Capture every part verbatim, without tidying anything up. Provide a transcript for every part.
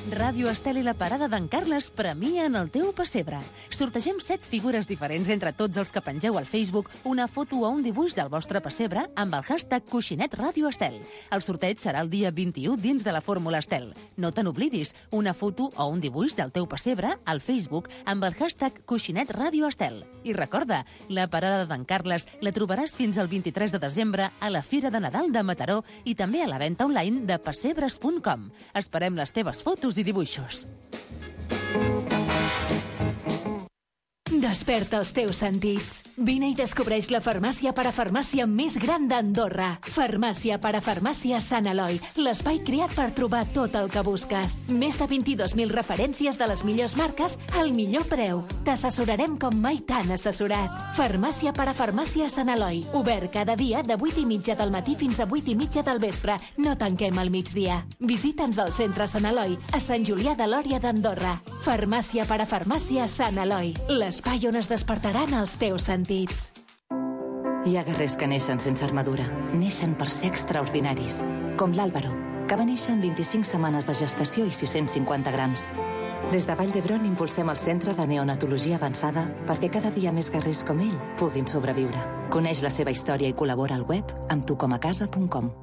Ràdio Estel i la Parada d'en Carles premien el teu pessebre. Sortegem set figures diferents entre tots els que pengeu al Facebook una foto o un dibuix del vostre pessebre amb el hashtag Coixinet Ràdio Estel. El sorteig serà el dia vint-i-u dins de la Fórmula Estel. No te n'oblidis, una foto o un dibuix del teu pessebre al Facebook amb el hashtag Coixinet Ràdio Estel. I recorda, la Parada d'en Carles la trobaràs fins al vint-i-tres de desembre a la Fira de Nadal de Mataró i també a la venda online de pessebres punt com. Esperem les teves fotos i dibuixos. Desperta els teus sentits. Vine i descobreix la farmàcia parafarmàcia més gran d'Andorra. Farmàcia parafarmàcia Sant Eloi, l'espai creat per trobar tot el que busques. Més de vint-i-dos mil referències de les millors marques al millor preu. T'assessorarem com mai t'han assessorat. Farmàcia parafarmàcia Sant Eloi, obert cada dia de vuit i mitja del matí fins a vuit i mitja del vespre. No tanquem al migdia. Visita'ns al centre Sant Eloi, a Sant Julià de Lòria d'Andorra. Farmàcia parafarmàcia Sant Eloi, l'espai on es despertaran els teus sentits. Hi ha guerrers que neixen sense armadura. Neixen per ser extraordinaris. Com l'Àlvaro, que va néixer amb vint-i-cinc setmanes de gestació i sis-cents cinquanta grams. Des de Vall d'Hebron impulsem el Centre de Neonatologia Avançada perquè cada dia més guerrers com ell puguin sobreviure. Coneix la seva història i col·labora al web amb tucomacasa punt com.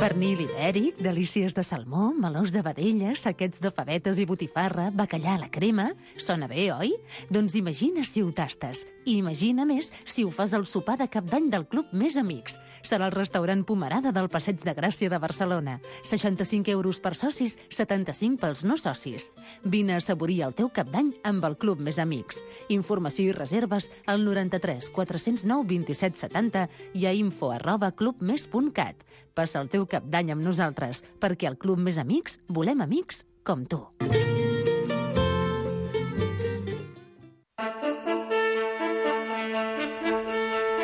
Pernil ibèric, delícies de salmó, melós de vedella, saquets de favetes i botifarra, bacallà a la crema... Sona bé, oi? Doncs imagina si ho tastes. I imagina més si ho fas al sopar de cap d'any del Club Més Amics. Serà el restaurant Pomerada del Passeig de Gràcia de Barcelona. seixanta-cinc euros per socis, setanta-cinc pels no socis. Vine a assaborir el teu cap d'any amb el Club Més Amics. Informació i reserves al noranta-tres quatre-cents nou vint-i-set setanta i a info arroba clubmes punt cat. Passa el teu cap d'any amb nosaltres, perquè al Club Més Amics volem amics com tu.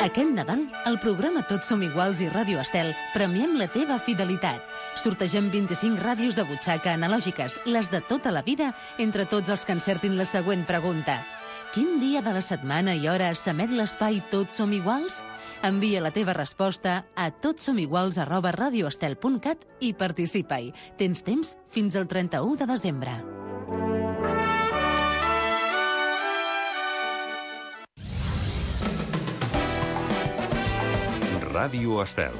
Aquest Nadal, al programa Tots som iguals i Ràdio Estel, premiem la teva fidelitat. Sortegem vint-i-cinc ràdios de butxaca analògiques, les de tota la vida, entre tots els que encertin la següent pregunta. Quin dia de la setmana i hora s'emet l'espai Tots som iguals? Envia la teva resposta a totsomiguals arroba radioestel punt cat i participa-hi. Tens temps fins al trenta-u de desembre. Ràdio Estel.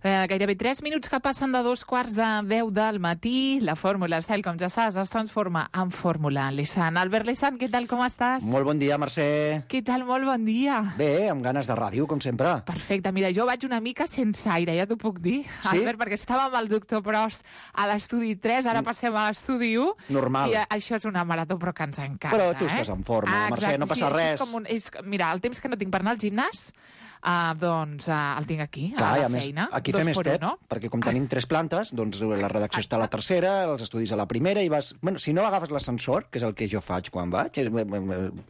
Eh, gairebé tres minuts que passen de dos quarts de deu del matí. La Fórmula Estel, com ja saps, es transforma en Fórmula Lesan. Albert Lesan, què tal, com estàs? Molt bon dia, Mercè. Què tal, molt bon dia. Bé, amb ganes de ràdio, com sempre. Perfecte, mira, jo vaig una mica sense aire, ja t'ho puc dir, sí? Albert, perquè estava amb el doctor Pros a l'estudi tres, ara passem a l'estudi u. Normal. I això és una marató, però que ens encanta. Però tu eh? estàs en forma, ah, Mercè, exacte, no passa sí, res. És com un, és, mira, el temps que no tinc per anar al gimnàs, Uh, doncs uh, el tinc aquí, Clar, a la a més, feina. aquí fem step, no? perquè com tenim tres plantes, doncs la redacció està a la tercera, els estudis a la primera, i vas... Bueno, si no agafes l'ascensor, que és el que jo faig quan vaig,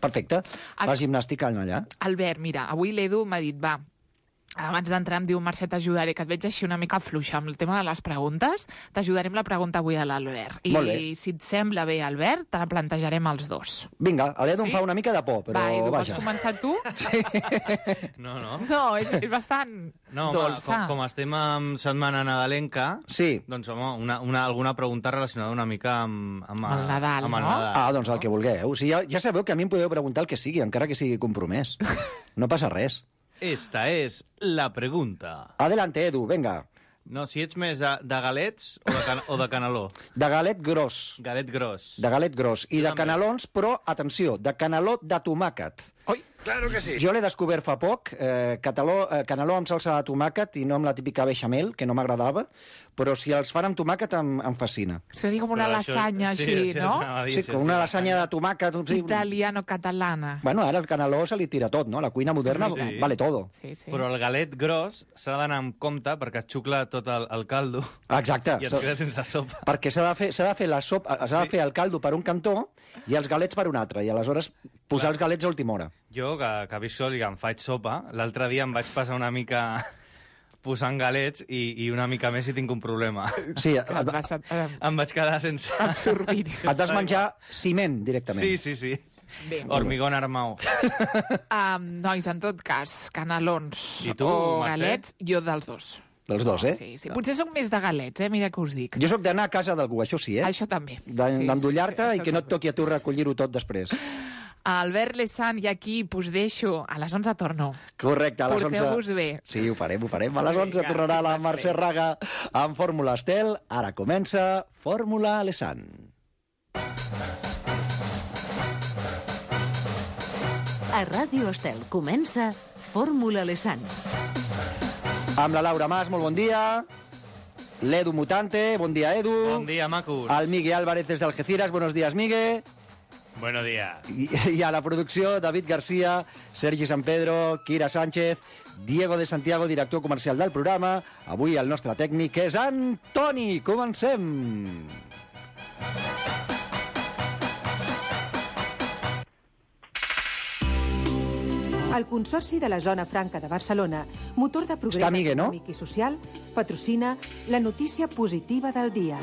perfecte, fas gimnàstica allà. Albert, mira, avui l'Edu m'ha dit, va, abans d'entrar em diu, Mercè, t'ajudaré, que et veig així una mica fluixa amb el tema de les preguntes, t'ajudarem la pregunta avui a l'Albert. I si et sembla bé, Albert, te la plantejarem els dos. Vinga, l'Edu sí? em fa una mica de por, però va, Edu, vaja. Vols començar tu? Sí. No, no. No, és, és bastant no, dolça. Com, com estem en setmana nadalenca, sí. doncs, home, una, una, alguna pregunta relacionada una mica amb, amb, el Nadal, amb el no? Nadal. Ah, doncs el que vulgueu. O sigui, ja, ja sabeu que a mi em podeu preguntar el que sigui, encara que sigui compromès. No passa res. Esta és la pregunta. Adelante, Edu, venga. No, si ets més de, de galets o de, can, o de caneló. De galet gros. Galet gros. De galet gros. I Jo de canelons, però, atenció, de caneló de tomàquet. Oi, claro que sí. Jo l'he descobert fa poc, eh, cataló, eh, caneló amb salsa de tomàquet i no amb la típica beixamel, que no m'agradava, però si els fan amb tomàquet em, em fascina. Seria com una Però això- lasanya sí, així, sí, no? dir, Sí, com una lasanya de tomàquet. Sí. Italiano-catalana. Bueno, ara el caneló se li tira tot, no? La cuina moderna Sí, sí. vale todo. Sí, sí. Però el galet gros s'ha d'anar amb compte perquè et xucla tot el, el caldo Exacte. i es queda sense sopa. Perquè s'ha de fer, s'ha de fer la sopa, s'ha de fer el caldo per un cantó i els galets per un altre, i aleshores posar Clar. els galets a última hora. Jo, que, que visc sol i que em faig sopa, l'altre dia em vaig passar una mica posant galets i, i una mica més si tinc un problema. Sí, Et vas, eh, Em vaig quedar sense... absorbit. et vas menjar ciment directament. Sí, sí, sí. Bé. Hormigón armao. Um, nois, en tot cas, canelons I tu, o Mercè? galets, jo dels dos. Els dos, eh? Sí, sí. Potser soc més de galets, eh? Mira què us dic. Jo sóc d'anar a casa d'algú, això sí, eh? Això també. D'endollar-te Sí, sí, sí, i que no et això toqui a tu recollir-ho tot després. Albert Lesan, i aquí us deixo. A les onze torno. Correcte, a les onze... Porteu-vos bé. Sí, ho farem, ho farem. A les onze Vinga, tornarà la fins Mercè després. Raga amb Fórmula Estel. Ara comença Fórmula Lesan. A Ràdio Estel comença Fórmula Lesan. Amb la Laura Mas, molt bon dia. L'Edu Mutante, bon dia, Edu. Bon dia, macos. El Miguel Álvarez des d'Algeciras, buenos días, Miguel. Buenos días. I, I a la producció, David García, Sergi San Pedro, Kira Sánchez, Diego de Santiago, director comercial del programa. Avui el nostre tècnic és Antoni. Comencem. El Consorci de la Zona Franca de Barcelona, motor de progrés Està Migue, no? econòmic i social, patrocina la notícia positiva del dia.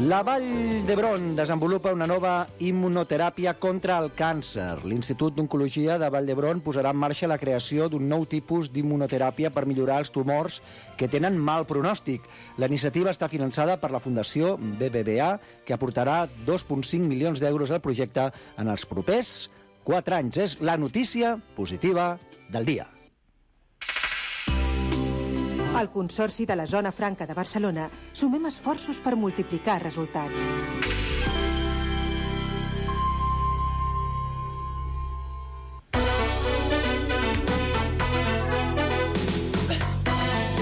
La Vall d'Hebron desenvolupa una nova immunoteràpia contra el càncer. L'Institut d'Oncologia de Vall d'Hebron posarà en marxa la creació d'un nou tipus d'immunoteràpia per millorar els tumors que tenen mal pronòstic. La iniciativa està finançada per la Fundació B B V A, que aportarà dos coma cinc milions d'euros al projecte en els propers quatre anys. És la notícia positiva del dia. Al Consorci de la Zona Franca de Barcelona sumem esforços per multiplicar resultats.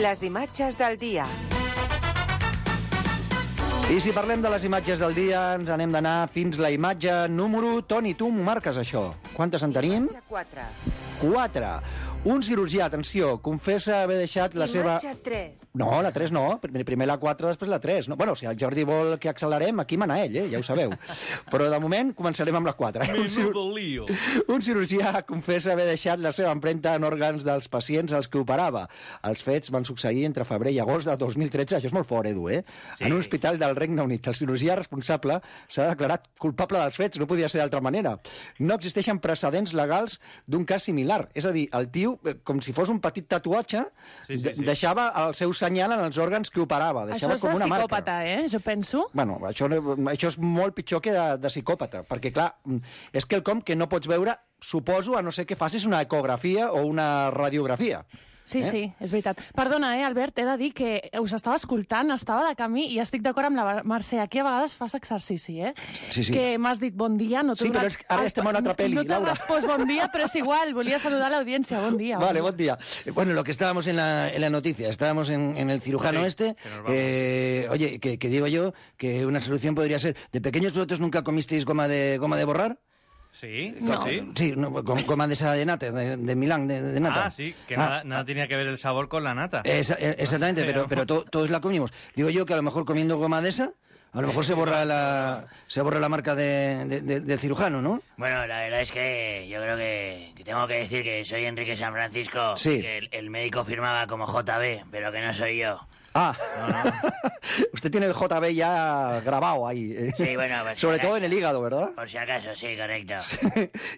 Les imatges del dia. I si parlem de les imatges del dia, ens anem d'anar fins la imatge número... Toni, tu m'ho marques, això. Quantes en tenim? quatre. Quatre. Un cirurgià, atenció, confessa haver deixat la seva... Imatge tres. No, la tres no. Primer primer la quatre, després la tres. No, bueno, si el Jordi vol que accelerem, aquí mana ell, eh? Ja ho sabeu. Però de moment començarem amb la quatre. Eh? Un, cir... lío. un cirurgià confessa haver deixat la seva empremta en òrgans dels pacients als que operava. Els fets van succeir entre febrer i agost de dos mil tretze. Això és molt fort, Edu, eh? Sí. En un hospital del Regne Unit. El cirurgià responsable s'ha declarat culpable dels fets. No podia ser d'altra manera. No existeixen precedents legals d'un cas similar. És a dir, el tio, com si fos un petit tatuatge, Sí, sí, sí. deixava el seu senyal en els òrgans que operava. Deixava Això és de com una psicòpata, marca. eh? Jo penso. Bueno, això, això és molt pitjor que de, de psicòpata, perquè, clar, és quelcom que no pots veure, suposo, a no ser que facis una ecografia o una radiografia. Sí, Eh? sí, és veritat. Perdona, eh, Albert, he de dir que us estava escoltant, estava de camí i estic d'acord amb la Mercè. Aquí a vegades fas exercici, eh? Sí, sí. Que m'has dit bon dia, no t'he Sí, però donat- és que ara estem a una altra peli, No t'he Laura. respost bon dia, però és igual, volia saludar a l'audiència. Bon dia. Vale, buen día. Eh, Bueno, lo que estábamos en la, en la noticia, estábamos en, en el cirujano Sí, este. que nos vamos. Eh, oye, que, que digo yo que una solución podría ser, ¿de pequeños vosotros nunca comisteis goma de goma de borrar? Sí, No. sí. Sí, no, gom- goma de esa de nata, de, de Milán, de, de nata. Ah, sí, que Ah, nada, nada tenía que ver el sabor con la nata. Esa- eh, exactamente, Sí, pero, pero vamos. to- todos la comimos. Digo yo que a lo mejor comiendo goma de esa, a lo mejor se borra la, se borra la marca de, de- de- del cirujano, ¿no? Bueno, la verdad es que yo creo que, que tengo que decir que soy Enrique San Francisco, Sí. que el, el médico firmaba como J B, pero que no soy yo. Ah, usted tiene el J B ya grabado ahí. eh. Sí, bueno, pues, Sobre si todo acaso. en el hígado, ¿verdad? Por si acaso, sí, correcto.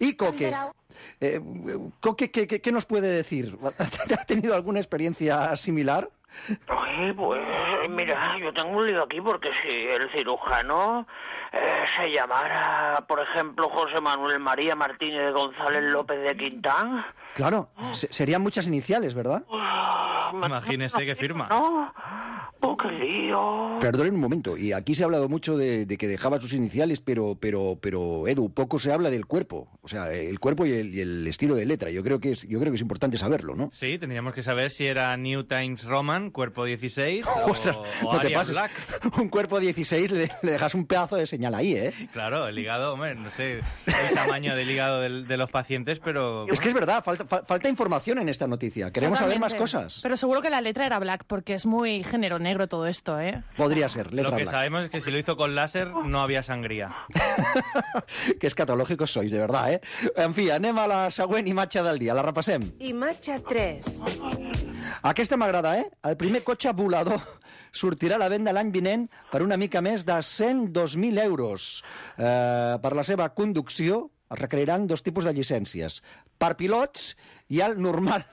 Y Coque. Eh, Coque, ¿qué, qué, qué nos puede decir? ¿Ha tenido alguna experiencia similar? Ay, pues mira, yo tengo un lío aquí porque si el cirujano eh, se llamara, por ejemplo, José Manuel María Martínez González López de Quintán... Claro, se- serían muchas iniciales, ¿verdad? Imagínese que firma. No, oh, qué lío. Perdonen un momento, y aquí se ha hablado mucho de, de que dejaba sus iniciales, pero, pero, pero, Edu, poco se habla del cuerpo. O sea, el cuerpo y el, y el estilo de letra. Yo creo que es, yo creo que es importante saberlo, ¿no? Sí, tendríamos que saber si era New Times Roman, cuerpo dieciséis, o, Ostras, o no te Arial pases. Black. Un cuerpo dieciséis le, le dejas un pedazo de señal ahí, ¿eh? Claro, el hígado, hombre, no sé el tamaño del hígado del- de los pacientes, pero... Es que es verdad, falta, fa- falta información en esta noticia. Queremos saber más Totalmente. cosas. Pero seguro que la letra era black, porque es muy género negro todo esto, ¿eh? Podría ser, letra Lo que black. sabemos es que si lo hizo con láser no había sangría. Que escatològicos sois, de verdad, eh? En fi, anem a la següent imatge del dia. La repassem. Imatge tres. Aquesta m'agrada, eh? El primer cotxe volador sortirà a la venda l'any vinent per una mica més de cent dos mil euros. Eh, per la seva conducció es requeriran dos tipus de llicències. Per pilots i el normal,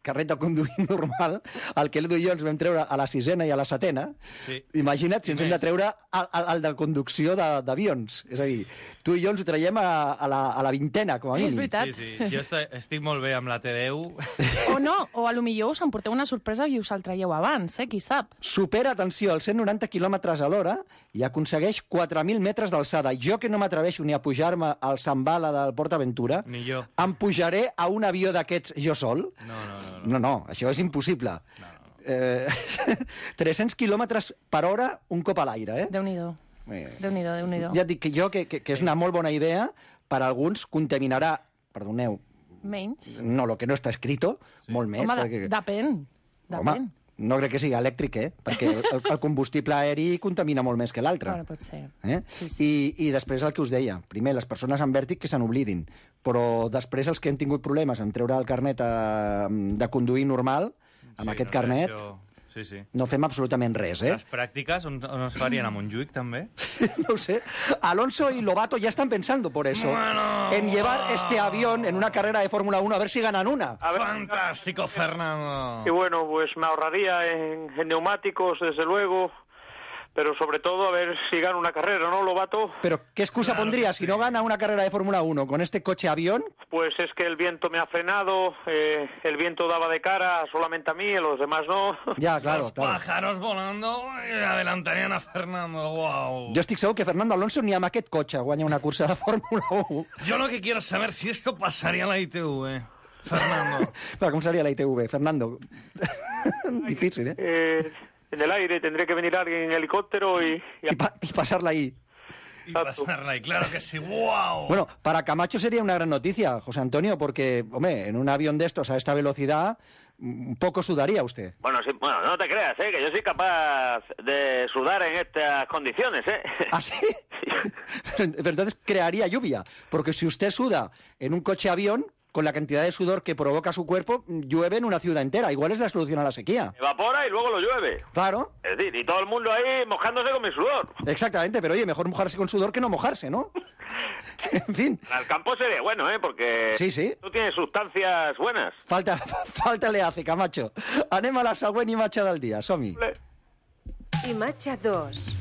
carret de conduir normal, el que l'Edu i jo ens vam treure a la sisena i a la setena. Sí. Imagina't si ens hem de treure el, el, el de conducció d'avions. És a dir, tu i jo ens ho traiem a, a, la, a la vintena, com a mínim. És veritat. Sí, sí. Jo estic, estic molt bé amb la T deu. O no, o a lo millor us emporteu una sorpresa i us el traieu abans, eh? Qui sap? Supera, atenció, els cent noranta quilòmetres a l'hora i aconsegueix quatre mil metres d'alçada. Jo, que no m'atreveixo ni a pujar-me al Zambala del Port Aventura, ni jo. Em pujaré a un avió d'aquests jo sol? No, no, no. No, no, això és impossible. No, no. Eh, tres-cents quilòmetres per hora un cop a l'aire, eh? Déu-n'hi-do. Eh, Déu-n'hi-do, Déu-n'hi-do. Ja et dic que jo, que, que, que és una molt bona idea, per a alguns contaminarà, perdoneu... Menys. No, lo que no està escrito, sí. Molt més. Home, perquè... depèn. Depèn. Home, no crec que sigui elèctric, eh? Perquè el, el combustible aeri contamina molt més que l'altre. Bueno, pot ser. Eh? Sí, sí. I, I després el que us deia. Primer, les persones amb vèrtic que se n'oblidin. Però després els que hem tingut problemes en treure el carnet a, de conduir normal, amb sí, aquest no carnet, sé, això... sí, sí. no fem absolutament res, eh? Les pràctiques on, on es farien a Montjuïc, també? No ho sé. Alonso y Lobato ya están pensando por eso. Bueno... En llevar este avión en una carrera de Fórmula uno a ver si ganan una. A ver, Fantástico, Fernando. Y bueno, pues me ahorraría en, en neumáticos, desde luego, pero sobre todo a ver si gana una carrera, ¿no, Lobato? Pero, ¿qué excusa Claro pondría que si sí. no gana una carrera de Fórmula uno con este coche avión? Pues es que el viento me ha frenado, eh, el viento daba de cara solamente a mí, a los demás no. Ya, claro, Los claro. pájaros volando y adelantarían a Fernando, wow. Jo estic segur que Fernando Alonso ni amb aquest cotxe guanya una cursa de Fórmula uno. Yo lo que quiero es saber si esto pasaría a la I T V, Fernando. Clar, com seria la I T V, Fernando? Difícil, eh? Eh, en el aire tendré que venir alguien en helicóptero y... y... Y, pa y pasarla ahí. Y pasarla ahí, claro que sí, wow. Bueno, para Camacho sería una gran noticia, José Antonio, porque, hombre, en un avión de estos a esta velocidad, un poco sudaría usted. Bueno, sí, bueno, no te creas, ¿eh? Que yo soy capaz de sudar en estas condiciones, ¿eh? ¿Ah, sí? Pero, pero entonces crearía lluvia, porque si usted suda en un coche avión, con la cantidad de sudor que provoca su cuerpo, llueve en una ciudad entera. Igual es la solución a la sequía. Evapora y luego lo llueve. Claro. Es decir, y todo el mundo ahí mojándose con mi sudor. Exactamente, pero oye, mejor mojarse con sudor que no mojarse, ¿no? En fin. Al campo sería bueno, ¿eh? Porque sí, sí. tú tienes sustancias buenas. Falta, falta le hace, Camacho. Anem a la següent imatge del dia, som-hi. Imatge dos.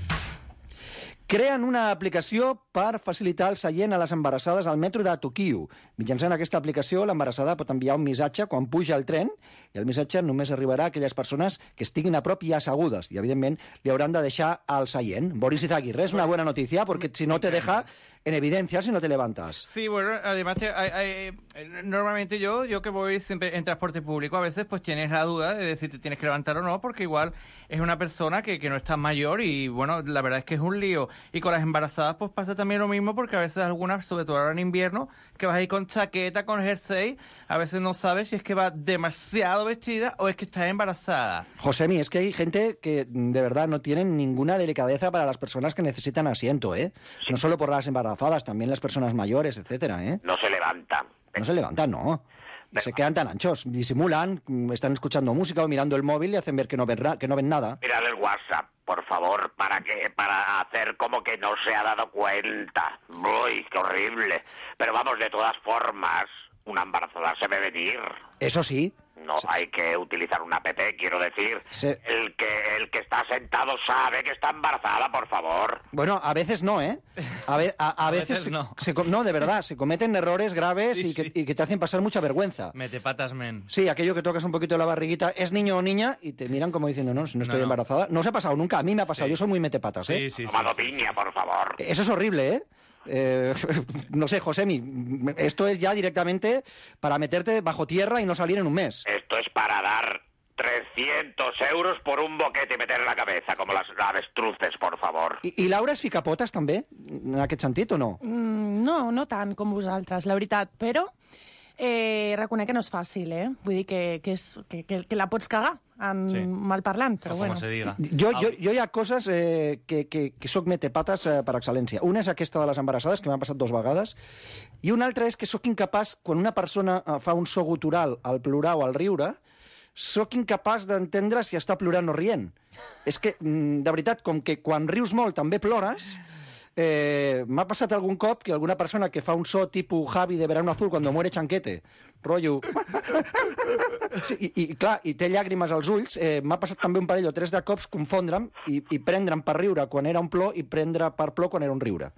Creen una aplicació per facilitar el seient a les embarassades al metro de Tokyo. Mitjançant aquesta aplicació, l'embarassada pot enviar un missatge quan puja al tren i el missatge només arribarà a aquelles persones que estiguin a prop i assegudes i, evidentment, li hauran de deixar al seient. Boris Izaguirre, es una buena noticia porque si no te deja en evidencia si no te levantas. Sí, bueno, además hay, hay, normalmente yo yo que voy siempre en transporte público, a veces pues tienes la duda de si te tienes que levantar o no, porque igual es una persona que, que no está mayor y, bueno, la verdad es que es un lío. Y con las embarazadas pues pasa también lo mismo, porque a veces algunas, sobre todo ahora en invierno, que vas ahí con chaqueta, con jersey, a veces no sabes si es que va demasiado vestida o es que está embarazada. Josemi, es que hay gente que de verdad no tienen ninguna delicadeza para las personas que necesitan asiento, ¿eh? No solo por las embarazadas, también las personas mayores, etcétera, ¿eh? No se levantan. No se levantan, no. Pero se quedan tan anchos, disimulan, están escuchando música o mirando el móvil y hacen ver que no ven, que no ven nada. Mirad el WhatsApp, por favor, para que para hacer como que no se ha dado cuenta. Uy, qué horrible. Pero vamos, de todas formas, una embarazada se ve venir. Eso sí. No sí. Hay que utilizar una app, quiero decir. Sí. El que el que está sentado sabe que está embarazada, por favor. Bueno, a veces no, ¿eh? A, ve, a, a, a veces, veces no. Se, se, no, de verdad, se cometen errores graves sí, y, que, sí. y que te hacen pasar mucha vergüenza. Mete patas, men. Sí, aquello que tocas un poquito la barriguita, ¿es niño o niña? Y te miran como diciendo, no, si no estoy no, embarazada. No os ha pasado nunca, a mí me ha pasado, sí. Yo soy muy metepatas, ¿eh? Sí, sí, Tomado sí, piña, sí. por favor. Eso es horrible, ¿eh? Eh, no sé, Josemi, esto es ya directamente para meterte bajo tierra y no salir en un mes. Esto es para dar trescientos euros por un boquete y meter en la cabeza, como las avestruces, por favor. I, i Laura és ficapotes, també, en aquest sentit, o no? Mm, no, no tant com vosaltres, la veritat, però eh, reconec que no és fàcil, eh? Vull dir que, que, és, que, que, que la pots cagar amb sí. malparlant, però o bueno. Se diga. Jo, jo, jo hi ha coses eh, que, que, que soc metepates eh, per excel·lència. Una és aquesta de les embarassades, que m'ha passat dues vegades, i una altra és que sóc incapaç, quan una persona fa un so gutural al plorar o al riure, sóc incapaç d'entendre si està plorant o rient. És que, de veritat, com que quan rius molt també plores, eh, m'ha passat algun cop que alguna persona que fa un so tipus Javi de Verano Azul cuando muere Chanquete, rotllo... Sí, i, i, clar, i té llàgrimes als ulls, eh, m'ha passat també un parell o tres de cops confondre'm i, i prendre'm per riure quan era un plor i prendre per plor quan era un riure.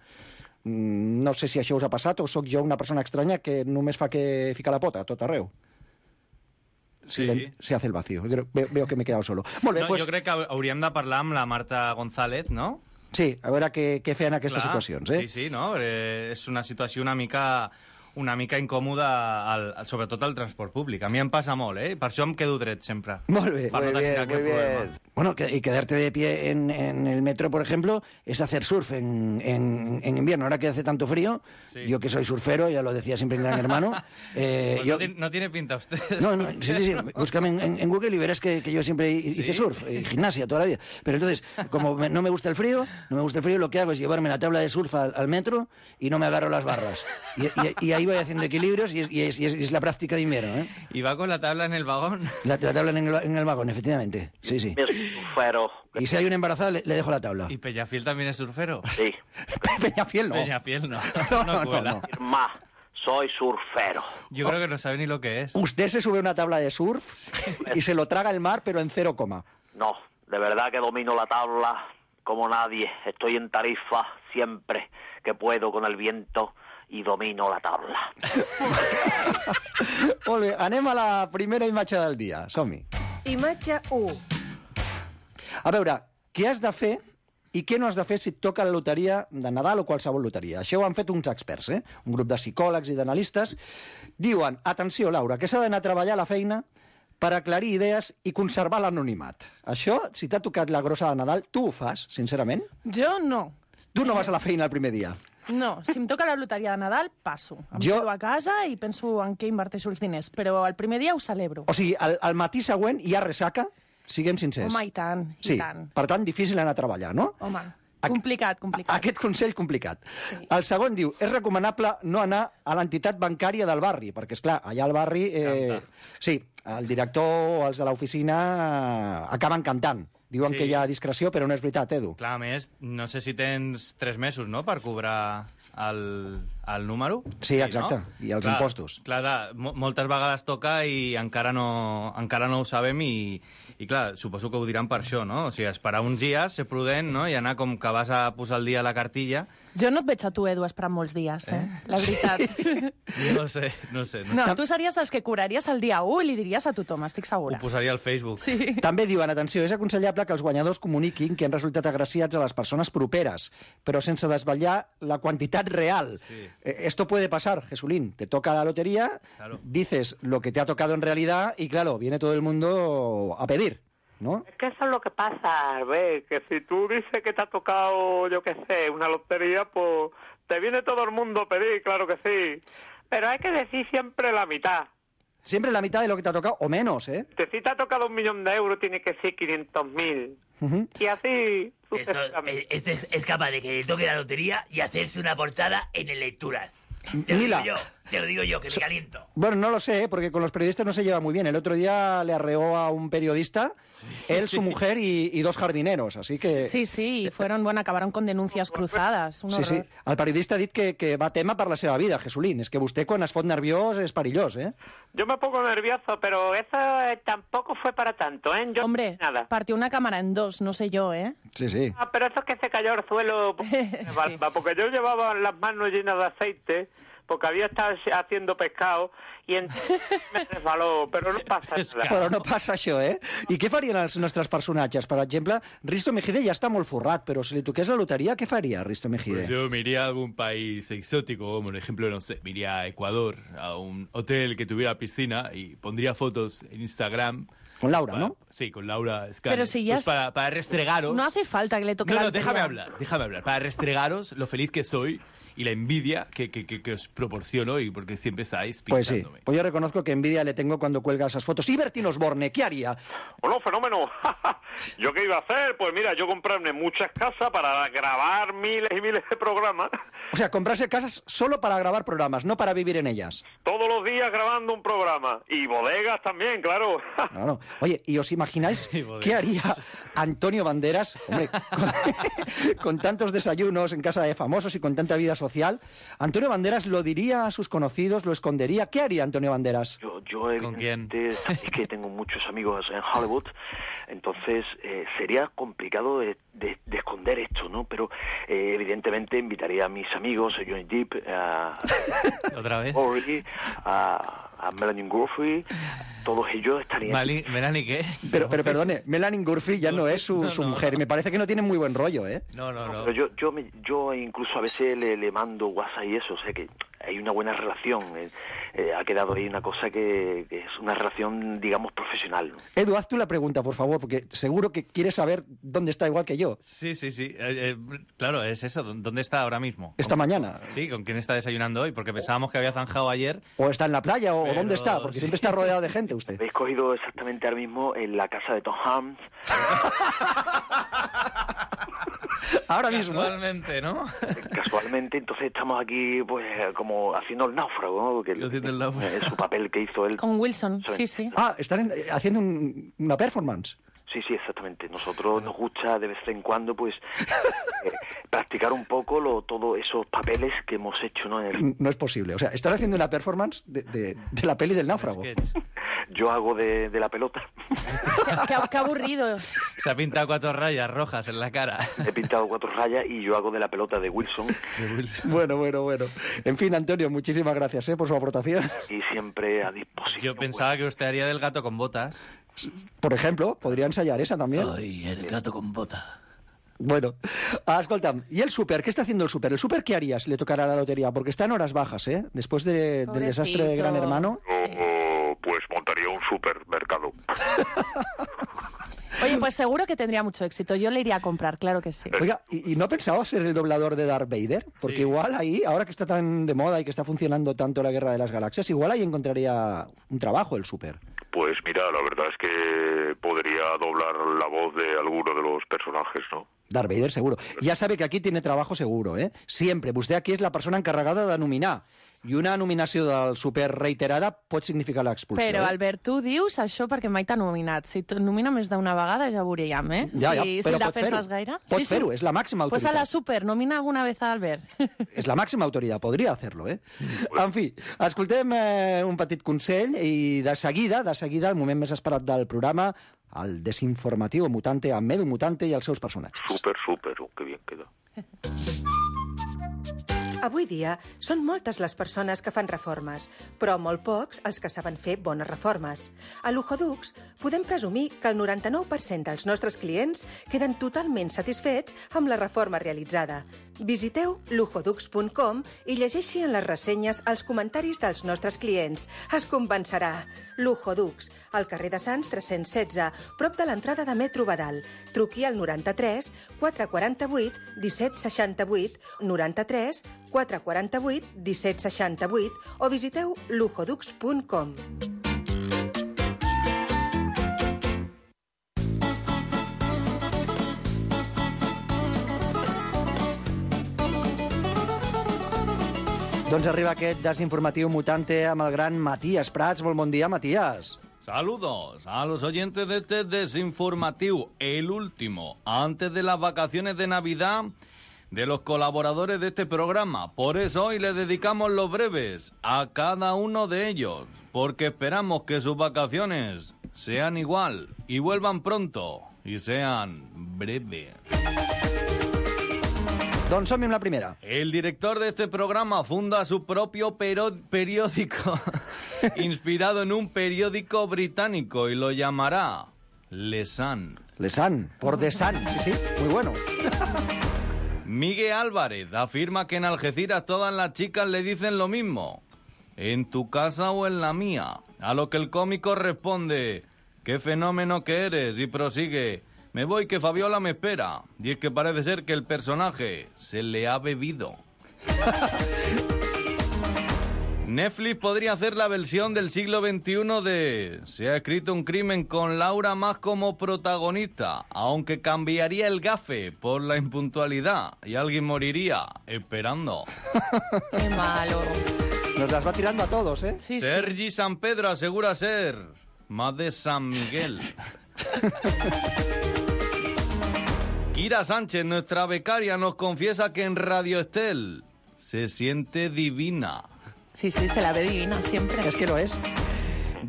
No sé si això us ha passat o sóc jo una persona estranya que només fa que ficar la pota a tot arreu. Sí. Se hace el vacío. Veo, veo que me he quedado solo. Molt bé, no, pues... Jo crec que hauríem de parlar amb la Marta González, no? Sí, a veure què, què feien aquestes Clar, situacions. Eh? Sí, sí, no? Eh, és una situació una mica... una mica incòmoda, al, al, sobretot al transport públic. A mi em passa molt, eh? Per això em quedo dret sempre. Molt bé. Per muy no tenir bien, aquest muy problema. bien. Bueno, que, y quedarte de pie en, en el metro, por ejemplo, es hacer surf en, en, en invierno. Ahora que hace tanto frío, sí. Yo que soy surfero, ya lo decía siempre en Gran Hermano. Eh, pues yo... no, tiene, no tiene pinta usted. No, no, sí, sí, sí. Búscame en, en Google y verás que, que yo siempre hice ¿Sí? surf, y gimnasia toda la vida. Pero entonces, como me, no me gusta el frío, no me gusta el frío, lo que hago es llevarme la tabla de surf al, al metro y no me agarro las barras. Y, y, y ahí voy haciendo equilibrios y es, y es, y es, y es la práctica de invierno, ¿eh? ¿Y va con la tabla en el vagón? La, la tabla en el, en el vagón, efectivamente. Sí, sí. Pero... Y si hay una embarazada, le, le dejo la tabla. ¿Y Peñafiel también es surfero? Sí. Peñafiel no. Peñafiel no. No, no, no, no, no. Más, soy surfero. Yo creo que no sabe ni lo que es. Usted se sube a una tabla de surf y se lo traga el mar, pero en cero coma. No, de verdad que domino la tabla como nadie. Estoy en Tarifa siempre que puedo con el viento i domino la tabla. Molt bé, anem a la primera imatge del dia. Som-hi. Imatge u. A veure, què has de fer i què no has de fer si et toca la loteria de Nadal o qualsevol loteria. Això ho han fet uns experts, eh? Un grup de psicòlegs i d'analistes. Diuen, atenció, Laura, que s'ha d'anar a treballar a la feina per aclarir idees i conservar l'anonimat. Això, si t'ha tocat la grossa de Nadal, tu ho fas, sincerament? Jo no. Tu no vas a la feina el primer dia? No, si em toca la loteria de Nadal, passo. Em jo... quedo a casa i penso en què inverteixo els diners, però el primer dia ho celebro. O sigui, al, al matí següent hi ha ressaca? Siguem sincers. Home, i tant, i sí. tant. Per tant, difícil anar a treballar, no? Home, complicat, complicat. Aquest consell complicat. Sí. El segon diu, és recomanable no anar a l'entitat bancària del barri, perquè, és clar, allà al barri... Eh, sí, el director o els de l'oficina acaben cantant. Diuen sí. que hi ha discreció, però no és veritat, Edu. Clar, a més, no sé si tens tres mesos, no?, per cobrar el, el número. Sí, exacte, no? I els clar, impostos. Clar, clar, moltes vegades toca i encara no, encara no ho sabem i, i, clar, suposo que ho diran per això, no? O sigui, esperar uns dies, ser prudent, no?, i anar com que vas a posar el dia a la cartilla. Jo no et veig a tu, Edu, esperant molts dies, eh? eh? La veritat. No sé, no sé. No, no tu series els que cobraries el dia u i li diries a tothom, estic segura. Ho posaria al Facebook. Sí. També diuen, atenció, és aconsellable que els guanyadors comuniquin que han resultat agraciats a les persones properes, però sense desvetllar la quantitat real. Sí. Eh, esto puede pasar, Jesulín. Te toca la lotería, claro. Dices lo que te ha tocado en realidad y, claro, viene todo el mundo a pedir. ¿No? Es que eso es lo que pasa, ¿ves? Que si tú dices que te ha tocado, yo qué sé, una lotería, pues te viene todo el mundo a pedir, claro que sí. Pero hay que decir siempre la mitad. Siempre la mitad de lo que te ha tocado, o menos, ¿eh? Si te ha tocado un millón de euros, tiene que ser quinientos mil. Uh-huh. Y así... Esto, este es, es capaz de que le toque la lotería y hacerse una portada en el Lecturas. Te lo Mira. digo yo, te lo digo yo, que me caliento. Bueno, no lo sé, porque con los periodistas no se lleva muy bien. El otro día le arreó a un periodista, sí, él, sí. su mujer y, y dos jardineros, así que... Sí, sí, fueron, bueno, acabaron con denúncias cruzadas. Un sí, sí. El periodista ha dit que, que va tema per la seva vida, Jesulín. És que vostè, quan es fot nerviós, és perillós, ¿eh? Yo me pongo nervioso, pero eso eh, tampoco fue para tanto, ¿eh? Yo Hombre, nada. partió una cámara en dos, no sé yo, ¿eh? Sí, sí. Ah, pero eso es que se cayó al suelo, sí. Porque yo llevaba las manos llenas de aceite, porque había estado haciendo pescado i entonces me resbaló, però no passa nada. Però no passa això, eh? I què farien els nostres personatges? Per exemple, Risto Mejide ja està molt forrat, però si li toqués la loteria, què faria Risto Mejide? Pues yo me iría a algún país exótico, como por ejemplo, no sé, me iría a Ecuador, a un hotel que tuviera piscina y pondría fotos en Instagram. Con Laura, para, ¿no? Sí, con Laura Escanes. Pero si ya pues es... para, para restregaros... No hace falta que le toque no, la no, déjame lotería. hablar, déjame hablar. Para restregaros lo feliz que soy y la envidia que, que, que, que os proporciono y porque siempre estáis pinchándome. Pues sí, pues yo reconozco que envidia le tengo cuando cuelga esas fotos. ¿Y Bertín Osborne, qué haría? Bueno, fenómeno. ¿Yo qué iba a hacer? Pues mira, yo comprarme muchas casas para grabar miles y miles de programas O sea, comprarse casas solo para grabar programas, no para vivir en ellas. Todos los días grabando un programa. Y bodegas también, claro. Claro. Oye, ¿y os imagináis qué haría Antonio Banderas, hombre, con, con tantos desayunos en casa de famosos y con tanta vida social? Antonio Banderas lo diría a sus conocidos, lo escondería. ¿Qué haría Antonio Banderas? Yo, yo evidentemente, es que tengo muchos amigos en Hollywood, entonces eh, sería complicado de, de, de esconder esto, ¿no? Pero eh, evidentemente invitaría a mis amigos, a Johnny Depp, a... ¿Otra vez? Ori, a, a Melanie Griffith, todos ellos estarían... Mali, ¿Melanie qué? Pero, pero perdone, Melanie Griffith ya no es su, no, su no, mujer. no. Me parece que no tiene muy buen rollo, ¿eh? No, no, no. Pero yo, yo, me, yo incluso a veces le, le mando WhatsApp y eso, o sea que hay una buena relación. Eh, eh, ha quedado ahí una cosa que, que es una relación, digamos, profesional, ¿no? Edu, haz tú la pregunta, por favor, porque seguro que quieres saber dónde está igual que yo. Sí, sí, sí. Eh, eh, claro, es eso. ¿Dónde está ahora mismo? Esta mañana. Sí, ¿con quién está desayunando hoy? Porque pensábamos que había zanjado ayer. O está en la playa, o Pero... dónde está, porque siempre está rodeado de gente usted. Habéis cogido exactamente ahora mismo en la casa de Tom Hanks. Ahora mismo. Casualmente, ¿no? Casualmente, entonces estamos aquí pues como haciendo el náufrago, ¿no? Porque el, haciendo el náufrago. Es su papel que hizo él. Con Wilson, sí, sí. Ah, están en- haciendo un- una performance. Sí, sí, exactamente. Nosotros nos gusta de vez en cuando pues eh, practicar un poco lo, todos esos papeles que hemos hecho, ¿no? En el... No es posible. O sea, están haciendo una performance de, de- de la peli del náufrago. Yo hago de, de la pelota. Qué, qué aburrido. Se ha pintado cuatro rayas rojas en la cara. He pintado cuatro rayas y yo hago de la pelota de Wilson. Bueno, bueno, bueno. En fin, Antonio, muchísimas gracias, ¿eh? por su aportación. Y siempre a disposición. Yo pensaba que usted haría del gato con botas. Por ejemplo, podría ensayar esa también. Soy el gato con bota. Bueno, ah, escolta, ¿y el súper? ¿Qué está haciendo el súper? ¿El súper qué haría si le tocara la lotería? Porque está en horas bajas, ¿eh? Después de- del desastre de Gran Hermano. Oh, pues montaría un supermercado. Oye, pues seguro que tendría mucho éxito. Yo le iría a comprar, claro que sí. Oiga, ¿y, y no pensaba ser el doblador de Darth Vader? Porque Sí. igual ahí, ahora que está tan de moda y que está funcionando tanto la Guerra de las Galaxias, igual ahí encontraría un trabajo el súper. Pues mira, la verdad es que podría doblar la voz de alguno de los personajes, ¿no? Darth Vader, seguro. Ya sabe que aquí tiene trabajo seguro, ¿eh? Siempre. Vostè aquí és la persona encarregada de nominar. I una nominació del súper reiterada pot significar l'expulsió. Però, eh? Albert, tu dius això perquè mai t'ha nominat. Si et nomina més d'una vegada ja veuríem, eh? Ja, ja, si, si però el pot defenses fer-ho. gaire. Pot fer-ho, és la màxima Pues a la autoritat. super, nomina alguna vez a Albert. És la màxima autoritat, podria hacerlo, eh? En fi, escoltem eh, un petit consell i de seguida, de seguida, el moment més esperat del programa, el desinformatiu mutante amb Edu Mutante i els seus personatges. Súper, súper, oh, qué bien queda. Avui dia són moltes les persones que fan reformes, però molt pocs els que saben fer bones reformes. A Luhodux podem presumir que el noranta-nou per cent dels nostres clients queden totalment satisfets amb la reforma realitzada. Visiteu luhodux punt com i llegeixi en les ressenyes els comentaris dels nostres clients. Es convencerà. Luhodux, al carrer de Sants tres-cents setze, prop de l'entrada de Metro Badal. Truqui al noranta-tres quatre quaranta-vuit disset seixanta-vuit, noranta-tres quatre quaranta-vuit disset seixanta-vuit o visiteu luhodux punt com. Doncs arriba aquest desinformatiu mutante amb el gran Matías Prats. Molt bon dia, Matías. Saludos a los oyentes de este desinformativo, el último, antes de las vacaciones de Navidad de los colaboradores de este programa. Por eso hoy le dedicamos los breves a cada uno de ellos, porque esperamos que sus vacaciones sean igual y vuelvan pronto y sean breves. Doncs som-hi amb la primera. El director de este programa funda su propio pero- periódico inspirado en un periódico británico y lo llamará Le Sun. Le Sun, por The Sun, sí, sí, muy bueno. Miguel Álvarez afirma que en Algeciras todas las chicas le dicen lo mismo. ¿En tu casa o en la mía? A lo que el cómico responde, ¿qué fenómeno que eres? Y prosigue, me voy que Fabiola me espera. Y es que parece ser que el personaje se le ha bebido. Netflix podría hacer la versión del siglo veintiuno de Se ha escrito un crimen con Laura Mas como protagonista, aunque cambiaría el gafe por la impuntualidad y alguien moriría esperando. Qué malo. Nos las va tirando a todos, ¿eh? Sí, Sergi sí. San Pedro asegura ser más de San Miguel. Kira Sánchez, nuestra becaria, nos confiesa que en Radio Estel se siente divina. Sí, sí, se la ve divina siempre. Es que lo es.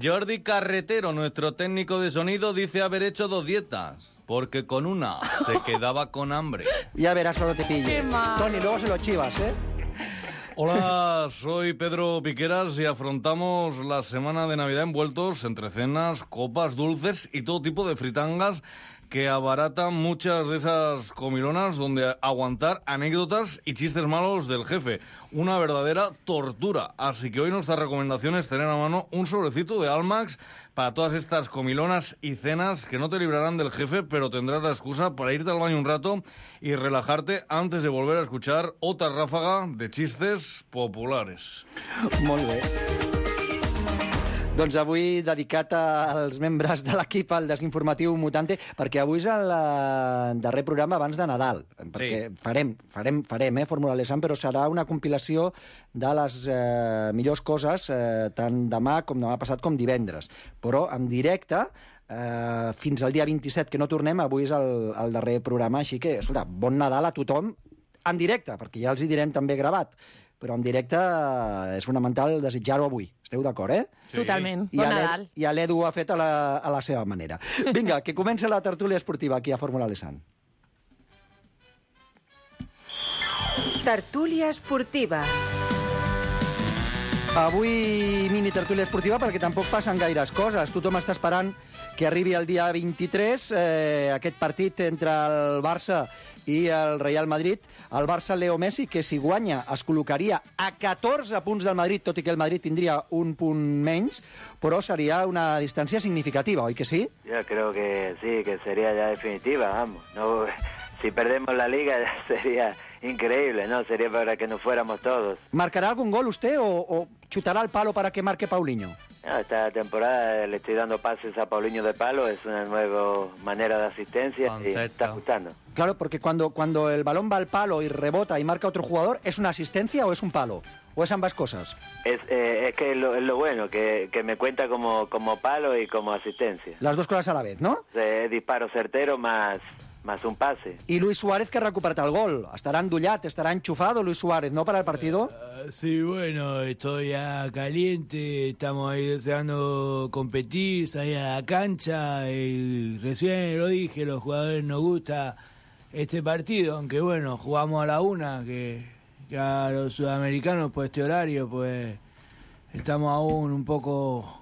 Jordi Carretero, nuestro técnico de sonido, dice haber hecho dos dietas, porque con una se quedaba con hambre. Ya verás cuando te pille. Qué mal. Tony, luego se lo chivas, ¿eh? Hola, soy Pedro Piqueras y afrontamos la semana de Navidad envueltos entre cenas, copas, dulces y todo tipo de fritangas que abaratan muchas de esas comilonas donde aguantar anécdotas y chistes malos del jefe. Una verdadera tortura. Así que hoy nuestra recomendación es tener a mano un sobrecito de Almax para todas estas comilonas y cenas que no te librarán del jefe, pero tendrás la excusa para irte al baño un rato y relajarte antes de volver a escuchar otra ráfaga de chistes populares. Molt bé. Doncs avui dedicat als membres de l'equip al Desinformatiu Mutante, perquè avui és el eh, darrer programa abans de Nadal, perquè Sí. farem, farem, farem, eh, Fórmula Lesan, però serà una compilació de les eh, millors coses, eh, tant demà com demà passat com divendres, però en directe, eh, fins al dia vint-i-set, que no tornem, avui és el, el darrer programa, així que, escolta, bon Nadal a tothom en directe, perquè ja els hi direm també gravat, però en directe eh, és fonamental desitjar-ho avui. Esteu d'acord, eh? Sí. Totalment. I Bon a l'E- Nadal. I a l'Edu ho ha fet a la, a la seva manera. Vinga, que comença la tertúlia esportiva aquí a Fórmula Lesan. Tertúlia esportiva. Avui mini tertúlia esportiva perquè tampoc passen gaires coses. Tothom està esperant que arribi el dia vint-i-tres, eh, aquest partit entre el Barça i el Real Madrid. El Barça, Leo Messi, que si guanya es col·locaria a catorze punts del Madrid, tot i que el Madrid tindria un punt menys, però seria una distància significativa, oi que sí? Yo creo que sí, que sería ya definitiva, vamos. No, si perdemos la liga ya sería increíble, ¿no? Sería para que nos fuéramos todos. ¿Marcará algún gol usted o, o chutará el palo para que marque Paulinho? No, esta temporada le estoy dando pases a Paulinho de palo, es una nueva manera de asistencia y me está gustando. Claro, porque cuando, cuando el balón va al palo y rebota y marca otro jugador, ¿es una asistencia o es un palo? ¿O es ambas cosas? Es, eh, es que es lo, es lo bueno, que, que me cuenta como, como palo y como asistencia. Las dos cosas a la vez, ¿no? Eh, disparo certero más, más un pase. Y Luis Suárez, que ha recuperado el gol. Estará endullat, estará enchufado Luis Suárez, ¿no?, para el partido. Uh, sí, bueno, estoy ya caliente, estamos ahí deseando competir, salir a la cancha, y recién lo dije, los jugadores nos gusta este partido, aunque bueno, jugamos a la una, que, que a los sudamericanos, pues este horario, pues estamos aún un poco...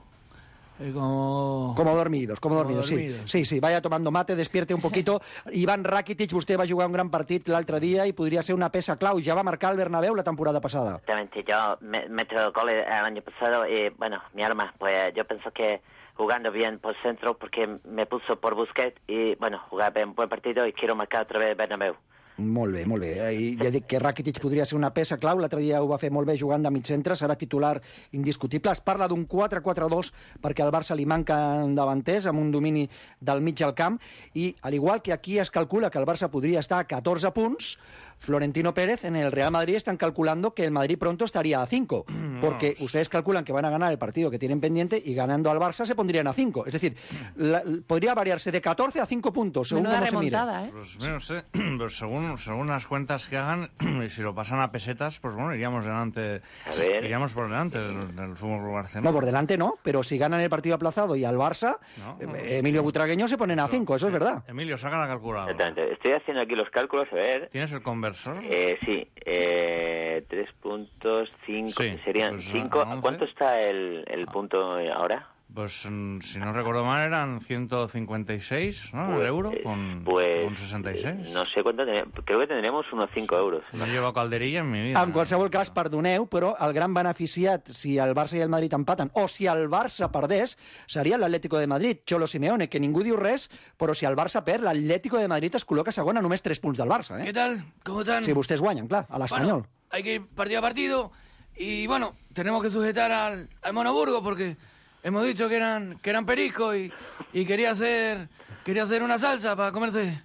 Eh, como... Como dormidos, como, como dormidos, dormidos. sí. Sí, sí, vaya tomando mate, despierte un poquito. Iván Rakitic, vostè va jugar un gran partit l'altre dia i podria ser una peça clau. Ja va marcar el Bernabéu la temporada pasada. Exactamente, yo me meto goles el año pasado y bueno, mi arma, pues yo pienso que jugando bien por centro porque me puso por Busquets y bueno, jugar un buen partido y quiero marcar otra vez Bernabéu. Molt bé, molt bé. I ja dic que Rakitic podria ser una peça clau. L'altre dia ho va fer molt bé jugant de mig centre, serà titular indiscutible. Es parla d'un quatre quatre dos perquè al Barça li manquen davanters amb un domini del mig al camp i, al igual que aquí es calcula que el Barça podria estar a catorze punts, Florentino Pérez en el Real Madrid están calculando que el Madrid pronto estaría a cinco, porque ustedes calculan que van a ganar el partido que tienen pendiente y ganando al Barça se pondrían a cinco. Es decir, la, podría variarse de catorce a cinco puntos, según Menuda cómo se mire. remontada, ¿eh? Pues no sé, pues según, según las cuentas que hagan, y si lo pasan a pesetas, pues bueno, iríamos delante, A ver. iríamos por delante del, del Fútbol Club Barcelona. No, por delante no, pero si ganan el partido aplazado y al Barça, No, eh, no, Emilio Butragueño se ponen a cinco, eso es verdad. Emilio, saca la calculadora. Exactamente. Estoy haciendo aquí los cálculos, a ver. ¿Tienes el conversor? Eh, sí, eh, tres puntos, cinco, Sí, serían pues, cinco. a once. ¿Cuánto está el, el punto ahora? Pues mm, si no recuerdo mal eran ciento cincuenta y seis, ¿no? El euro con, Pues, con sesenta y seis. no sé cuánto, tenemos, creo que tendremos unos cinco euros. No llevo calderilla en mi vida. En qualsevol cas, perdoneu, però el gran beneficiat, si el Barça i el Madrid empaten, o si el Barça perdés, seria l'Atlético de Madrid, Cholo Simeone, que ningú diu res, però si el Barça perd, l'Atlético de Madrid es col·loca segon a només tres punts del Barça, eh? ¿Qué tal? ¿Cómo están? Si vostès guanyen, clar, a l'Espanyol. Bueno, hay que ir partido a partido. Y bueno, tenemos que sujetar al, al Monoburgo porque hemos dicho que eran, que eran pericos y, y quería hacer quería hacer una salsa para comerse,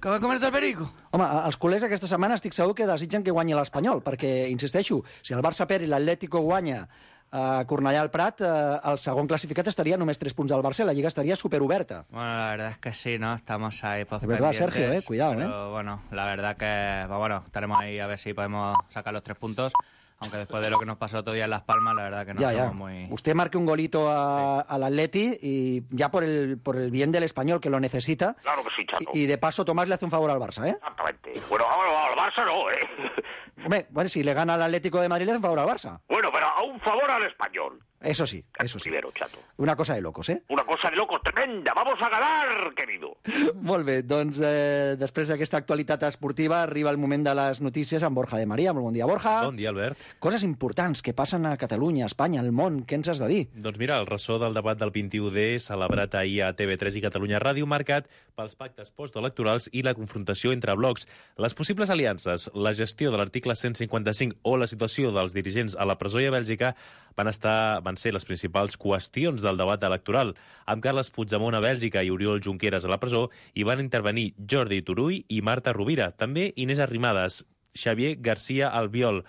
para comerse el perico. Home, els culers aquesta setmana estic segur que desitgen que guanyi l'Espanyol, perquè, insisteixo, si el Barça perd i l'Atlético guanya a Cornellà al Prat, eh, el segon classificat estaria només tres punts al Barça i la Lliga estaría superoberta. Bueno, la verdad es que sí, ¿no? Estamos ahí pues, Es verdad, pendientes, Sergio, eh, cuidado, pero, eh. bueno, la verdad que, pues, bueno, estaremos ahí a ver si podemos sacar los tres puntos, aunque después de lo que nos pasó otro día en Las Palmas, la verdad que no ya, somos ya. muy... Usted marque un golito a, al Atleti y ya por el, por el bien del Español, que lo necesita. Claro que sí, Chato. Y, y de paso Tomás le hace un favor al Barça, ¿eh? Exactamente. Bueno, al Barça no, ¿eh? Hombre, bueno, si le gana al Atlético de Madrid le hace un favor al Barça. Bueno, pero a un favor al Español. Eso sí, eso sí. Primero, Chato. Una cosa de locos, eh? Una cosa de locos tremenda. Vamos a ganar, querido. Molt bé, doncs eh, després d'aquesta actualitat esportiva arriba el moment de les notícies amb Borja de Maria. Molt bon dia, Borja. Bon dia, Albert. Coses importants que passen a Catalunya, a Espanya, al món. Què ens has de dir? Doncs mira, el ressò del debat del vint-i-u D, celebrat ahir a T V tres i Catalunya Ràdio, marcat pels pactes postelectorals i la confrontació entre blocs. Les possibles aliances, la gestió de l'article cent cinquanta-cinc o la situació dels dirigents a la presó i a Bèlgica van estar van ser les principals qüestions del debat electoral. Amb Carles Puigdemont a Bèlgica i Oriol Junqueras a la presó hi van intervenir Jordi Turull i Marta Rovira. També Inés Arrimadas, Xavier García Albiol,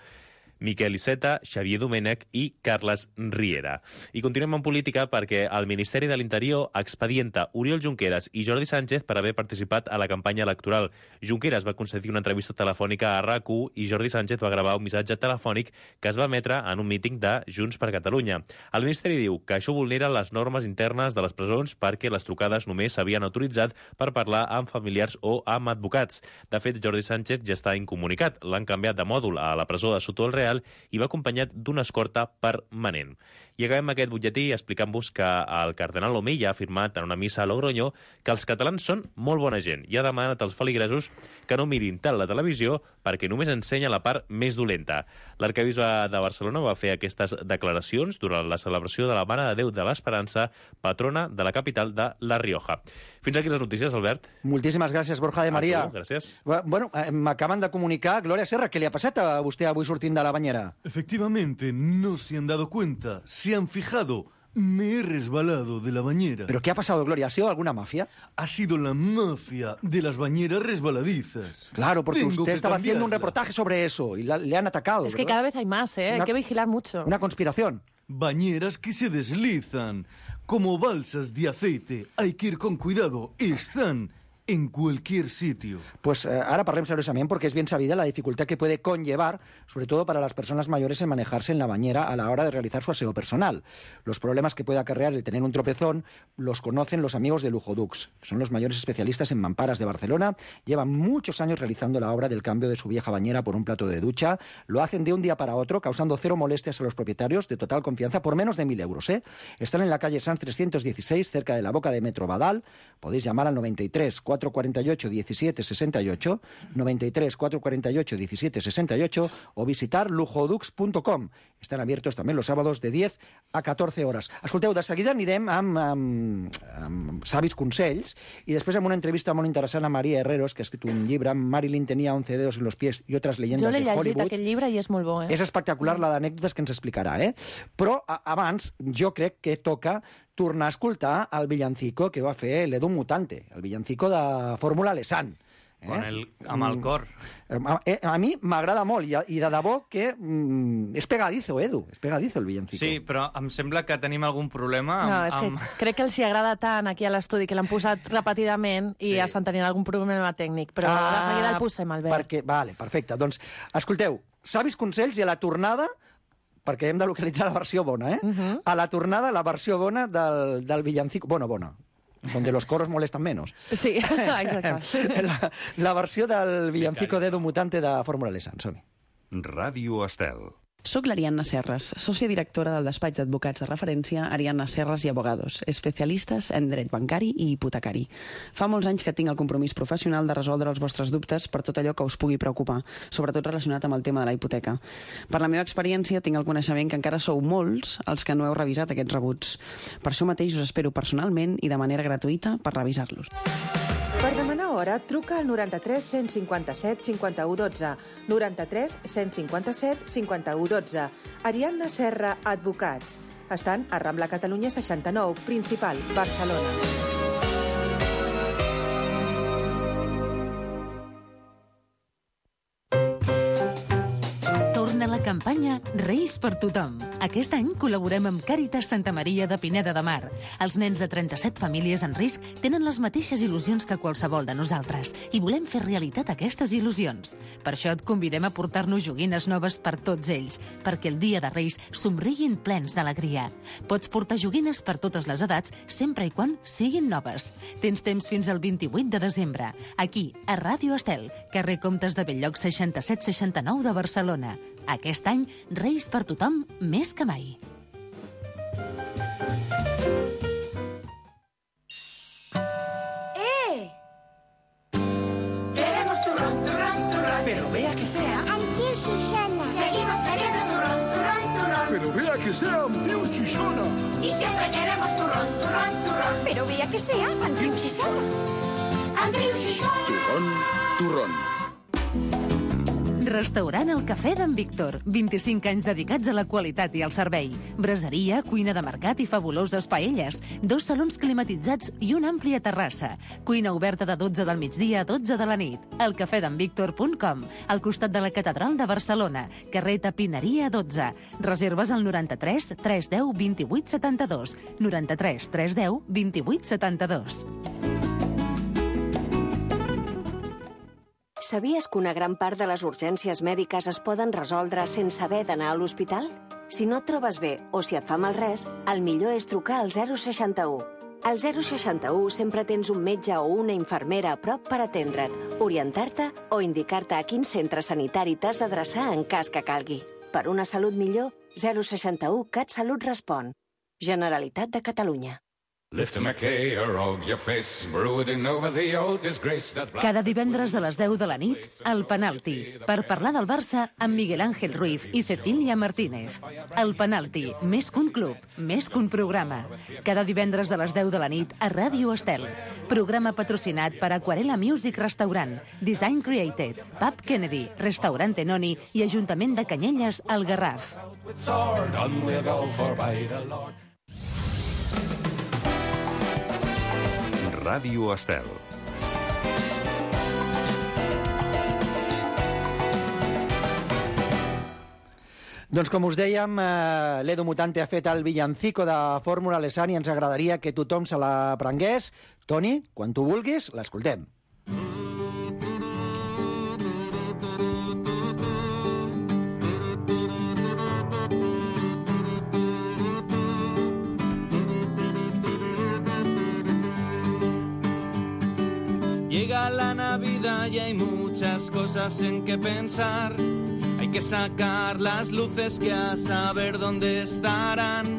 Miquel Iceta, Xavier Domènech i Carles Riera. I continuem en política perquè el Ministeri de l'Interior expedienta Oriol Junqueras i Jordi Sánchez per haver participat a la campanya electoral. Junqueras va concedir una entrevista telefònica a RAC u i Jordi Sánchez va gravar un missatge telefònic que es va emetre en un míting de Junts per Catalunya. El Ministeri diu que això vulnera les normes internes de les presons perquè les trucades només s'havien autoritzat per parlar amb familiars o amb advocats. De fet, Jordi Sánchez ja està incomunicat. L'han canviat de mòdul a la presó de Soto el Real i va acompanyat d'una escorta permanent. I acabem aquest butlletí explicant-vos que el cardenal Omella ha afirmat en una missa a Logroño que els catalans són molt bona gent i ha demanat als feligresos que no mirin tant la televisió perquè només ensenya la part més dolenta. L'arquebisbe de Barcelona va fer aquestes declaracions durant la celebració de la Mare de Déu de l'Esperança, patrona de la capital de La Rioja. Fins aquí les notícies, Albert. Moltíssimes gràcies, Borja de Maria. A tu, gràcies. Bueno, eh, m'acaben de comunicar, Glòria Serra, què li ha passat a vostè avui sortint de la banyera? Efectivamente, no se han dado cuenta, se han fijado. Me he resbalado de la bañera. ¿Pero qué ha pasado, Gloria? ¿Ha sido alguna mafia? Ha sido la mafia de las bañeras resbaladizas. Claro, porque Tengo usted que estaba haciendo un cambiarla. reportaje sobre eso y la- le han atacado. Es que ¿verdad? cada vez hay más, ¿eh? Una- Hay que vigilar mucho. Una conspiración. Bañeras que se deslizan, como balsas de aceite. Hay que ir con cuidado. Están en cualquier sitio. Pues eh, ahora parlem seriosamente porque es bien sabida la dificultad que puede conllevar, sobre todo para las personas mayores, en manejarse en la bañera a la hora de realizar su aseo personal. Los problemas que puede acarrear el tener un tropezón los conocen los amigos de Luxodux. Son los mayores especialistas en mamparas de Barcelona. Llevan muchos años realizando la obra del cambio de su vieja bañera por un plato de ducha. Lo hacen de un día para otro, causando cero molestias a los propietarios, de total confianza, por menos de mil euros. ¿eh? Están en la calle Sanz trescientos dieciséis, cerca de la boca de Metro Badal. Podéis llamar al noventa y tres, cuatrocientos cuarenta y ocho, diecisiete sesenta y ocho, noventa y tres, cuatrocientos cuarenta y ocho, diecisiete sesenta y ocho o visitar lujodux punto com. Están abiertos también los sábados de diez a catorze horas. Escolteu, de seguida anirem amb, amb, amb savis consells i després amb una entrevista molt interessant a Maria Herreros, que ha escrit un llibre, Marilyn tenía once dedos en los pies y otras leyendas Jo l'he de llegit, Hollywood. aquest llibre, i és molt bo, eh? És espectacular la d'anècdotes que ens explicarà, eh? Però a, abans jo crec que toca tornar a escoltar el villancico que va fer l'Edu Mutante, el villancico de Fórmula Lesan. Eh? Con el, amb el cor. A, eh, a mi m'agrada molt i, i de debò que mm, és pegadizo, Edu, és pegadizo el villancico. Sí, però em sembla que tenim algun problema amb... No, és que amb... crec que els hi agrada tant aquí a l'estudi que l'han posat repetidament i Sí. estan tenint algun problema tècnic, però de seguida el posem, Albert. Perquè, vale, perfecte. Doncs, escolteu, savis consells i a la tornada, perquè hem de localitzar la versió bona, eh? Uh -huh. A la tornada, la versió bona del, del villancico... Bueno, bona, donde los coros molestan menos. Sí, exacte. La, la versió del villancico d'Edu Mutante de Fórmula Lesan. Som-hi. Ràdio Estel. Soc l'Ariadna Serres, sòcia directora del despatx d'advocats de referència Ariadna Serres i Abogados, especialistes en dret bancari i hipotecari. Fa molts anys que tinc el compromís professional de resoldre els vostres dubtes per tot allò que us pugui preocupar, sobretot relacionat amb el tema de la hipoteca. Per la meva experiència tinc el coneixement que encara sou molts els que no heu revisat aquests rebuts. Per això mateix us espero personalment i de manera gratuïta per revisar-los. Per demanar hora, truca al noranta-tres cent cinquanta-set cinquanta-u dotze, noranta-tres cent cinquanta-set cinquanta-u dotze. Ariadna Serra Advocats. Estan a Rambla Catalunya seixanta-nou, Principal, Barcelona. La campanya Reis per tothom. Aquest any col·laborem amb Càritas Santa Maria de Pineda de Mar. Els nens de trenta-set famílies en risc tenen les mateixes il·lusions que qualsevol de nosaltres i volem fer realitat aquestes il·lusions. Per això et convidem a portar-nos joguines noves per tots ells, perquè el dia de Reis somriguin plens d'alegria. Pots portar joguines per totes les edats, sempre i quan siguin noves. Tens temps fins al vint-i-vuit de desembre, aquí, a Ràdio Estel, carrer Comtes de Belllloc seixanta-set seixanta-nou de Barcelona. Aquest any, Reis per tothom més que mai. ¡Eh! Queremos turrón, turrón, turrón. Pero vea que sea. Antía Susana. Seguimos queriendo turrón, turrón, turrón. Pero vea que sea Antía Susana. Y siempre queremos turrón, turrón, turrón. Pero vea que sea Antía Susana. Antía Susana. Turrón, turrón. Restaurant El Cafè d'en Víctor. vint-i-cinc anys dedicats a la qualitat i al servei. Braseria, cuina de mercat i fabuloses paelles. Dos salons climatitzats i una àmplia terrassa. Cuina oberta de dotze del migdia a dotze de la nit. el cafè d'en víctor punt com, al costat de la Catedral de Barcelona. Carrer Tapineria dotze. Reserves al noranta-tres tres deu vint-i-vuit setanta-dos. noranta-tres tres deu vint-i-vuit setanta-dos. Sabies que una gran part de les urgències mèdiques es poden resoldre sense haver d'anar a l'hospital? Si no et trobes bé o si et fa mal res, el millor és trucar al zero seixanta-u. Al zero seixanta-u sempre tens un metge o una infermera a prop per atendre't, orientar-te o indicar-te a quin centre sanitari t'has d'adreçar en cas que calgui. Per una salut millor, zero seixanta-u CatSalut respon. Generalitat de Catalunya. Cada divendres a les deu de la nit, El Penalti, per parlar del Barça amb Miguel Ángel Ruiz i Cecília Martínez. El Penalti, més que un club, més que un programa. Cada divendres a les deu de la nit a Ràdio Estel. Programa patrocinat per Aquarela Music Restaurant, Design Created, Pub Kennedy, Restaurant Tenoni i Ajuntament de Canyelles, al Garraf. Ràdio Estel. Doncs com us dèiem, eh, l'Edu Mutante ha fet el villancico de Fórmula Lesani i ens agradaria que tothom se l'aprengués. Toni, quan tu vulguis, l'escoltem. Llega la Navidad y hay muchas cosas en que pensar. Hay que sacar las luces que a saber dónde estarán.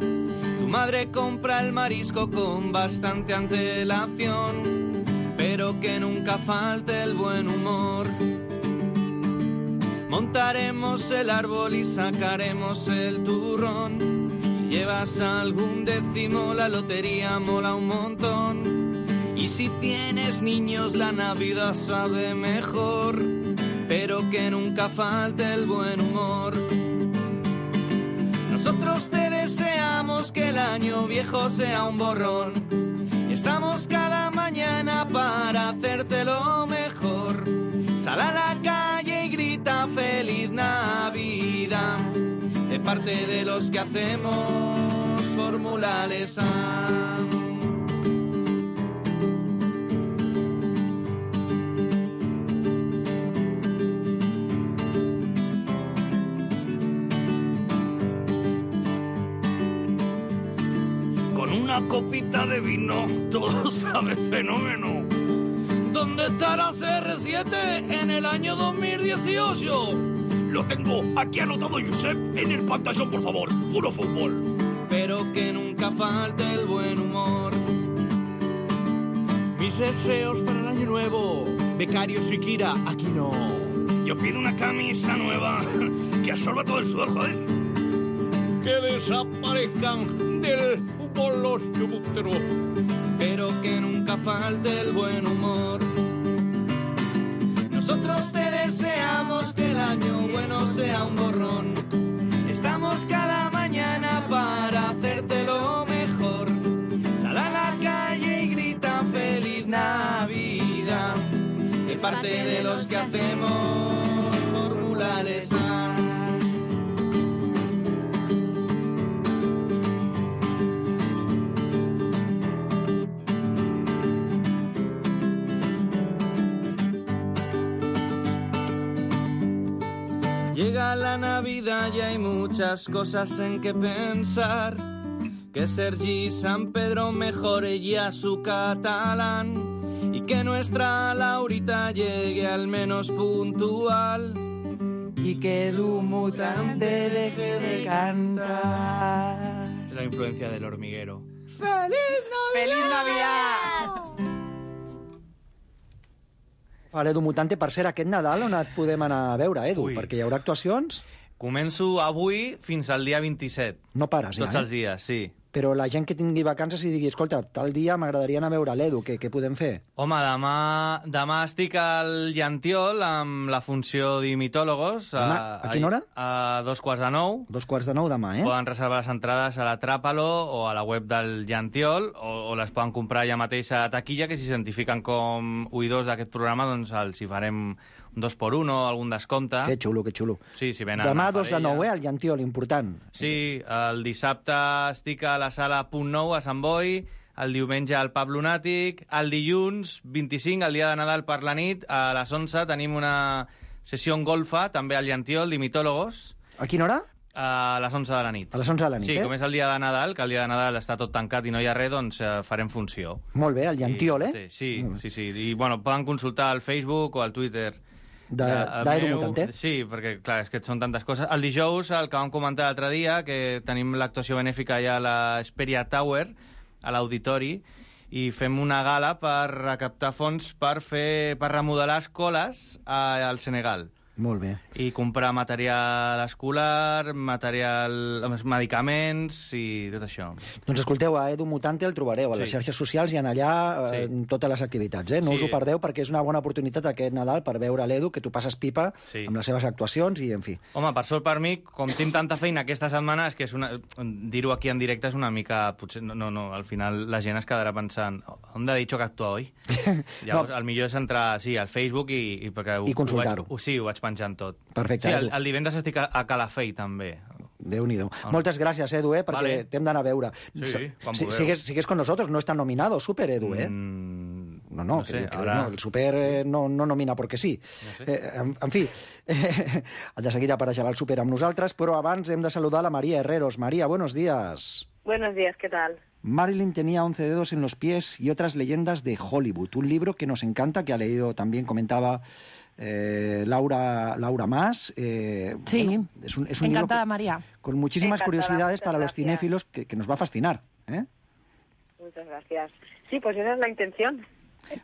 Tu madre compra el marisco con bastante antelación, pero que nunca falte el buen humor. Montaremos el árbol y sacaremos el turrón. Si llevas algún décimo, la lotería mola un montón. Y si tienes niños, la Navidad sabe mejor, pero que nunca falte el buen humor. Nosotros te deseamos que el año viejo sea un borrón, y estamos cada mañana para hacerte lo mejor. Sal a la calle y grita Feliz Navidad, de parte de los que hacemos Fórmula Lesani. Una copita de vino, todo sabe fenómeno. ¿Dónde estará C R siete en el año dos mil dieciocho? Lo tengo aquí anotado, Josep, en el pantallón, por favor. Puro fútbol. Pero que nunca falte el buen humor. Mis deseos para el año nuevo. Becario Shikira, aquí no. Yo pido una camisa nueva que absorba todo el sudor, joder. Que desaparezcan del los chubuteros, pero que nunca falte el buen humor. Nosotros te deseamos que el año bueno sea un borrón. Estamos cada mañana para hacerte lo mejor. Sal a la calle y grita feliz Navidad. De parte de los que hacemos formulares A. Llega la Navidad y hay muchas cosas en que pensar. Que Sergi San Pedro mejore ya su catalán y que nuestra Laurita llegue al menos puntual y que Edu Mutante deje de cantar. La influencia del hormiguero. ¡Feliz Navidad! ¡Feliz Navidad! Vale, Edu Mutante, per ser aquest Nadal on et podem anar a veure, Edu? Ui. Perquè hi haurà actuacions? Començo avui fins al dia vint-i-set. No pares, ja, Tots eh? els dies, sí. Però la gent que tingui vacances i digui, escolta, tal dia m'agradaria anar a veure l'Edu, què, què podem fer? Home, demà, demà estic al Llantiol amb la funció d'Imitólogos. Demà, a quina hora? A dos quarts de nou. Dos quarts de nou demà, eh? Poden reservar les entrades a la Tràpalo o a la web del Llantiol o, o les poden comprar ja mateix a taquilla, que si s'identifiquen com oïdors d'aquest programa, doncs els hi farem un dos por uno, algun descompte. Que xulo, que xulo. Sí, si venen demà a dos de nou, eh, al Llantiol, important. Sí, el dissabte estic a la sala Punt Nou a Sant Boi, el diumenge al Pub Lunàtic, el dilluns vint-i-cinc, el dia de Nadal per la nit, a les onze tenim una sessió en golfa, també al Llantiol, d'Imitólogos. A quina hora? A les onze de la nit. A les onze de la nit, sí, eh? com és el dia de Nadal, que el dia de Nadal està tot tancat i no hi ha res, doncs eh, farem funció. Molt bé, al Llantiol, eh? Sí, sí, sí. I, bueno, poden consultar al Facebook o al Twitter d'Edu Mutante. Sí, perquè, clar, és que són tantes coses. El dijous, el que vam comentar l'altre dia, que tenim l'actuació benèfica ja a la Xperia Tower, a l'auditori, i fem una gala per recaptar fons per fer per remodelar escoles al Senegal. Molt bé. I comprar material escolar, material, medicaments i tot això. Doncs escolteu, a Edu Mutante el trobareu a les Sí. xarxes socials i en allà eh, Sí. totes les activitats, eh? No Sí. us ho perdeu perquè és una bona oportunitat aquest Nadal per veure l'Edu, que tu passes pipa Sí. amb les seves actuacions i, en fi. Home, per sort per mi, com tinc tanta feina aquesta setmana, és que és una... dir-ho aquí en directe és una mica... Potser, no, no, no, al final la gent es quedarà pensant on ha dit que actua hoy? Llavors, no. El millor és entrar, sí, al Facebook i... I, perquè ho, I consultar-ho. Ho, vaig, ho, sí, ho vaig penjant tot. Perfecte, Sí, el, Edu. el divendres estic a, a Calafell, també. Déu-n'hi-do. Moltes gràcies, Edu, eh, perquè Vale. t'hem d'anar a veure. Sí, quan si, vulgueu. sigues, sigues con nosotros, no está nominado Super, Edu, eh? Mm, no, no, no que, sé, que ahora- no, el Super eh, no, no nomina perquè sí. No sé. Eh, en, en fi, eh, de seguida apareixerà el Super amb nosaltres, però abans hem de saludar a la María Herreros. María, buenos días. Buenos días, ¿qué tal? Marilyn tenía once dedos en los pies y otras leyendas de Hollywood. Un libro que nos encanta, que ha leído también, comentaba eh, Laura, Laura Mas. Eh, Sí, bueno, es un, es un encantada, libro María. con muchísimas Encantada, curiosidades muchas para los gracias. cinéfilos que, que nos va a fascinar. ¿eh? Muchas gracias. Sí, pues esa es la intención.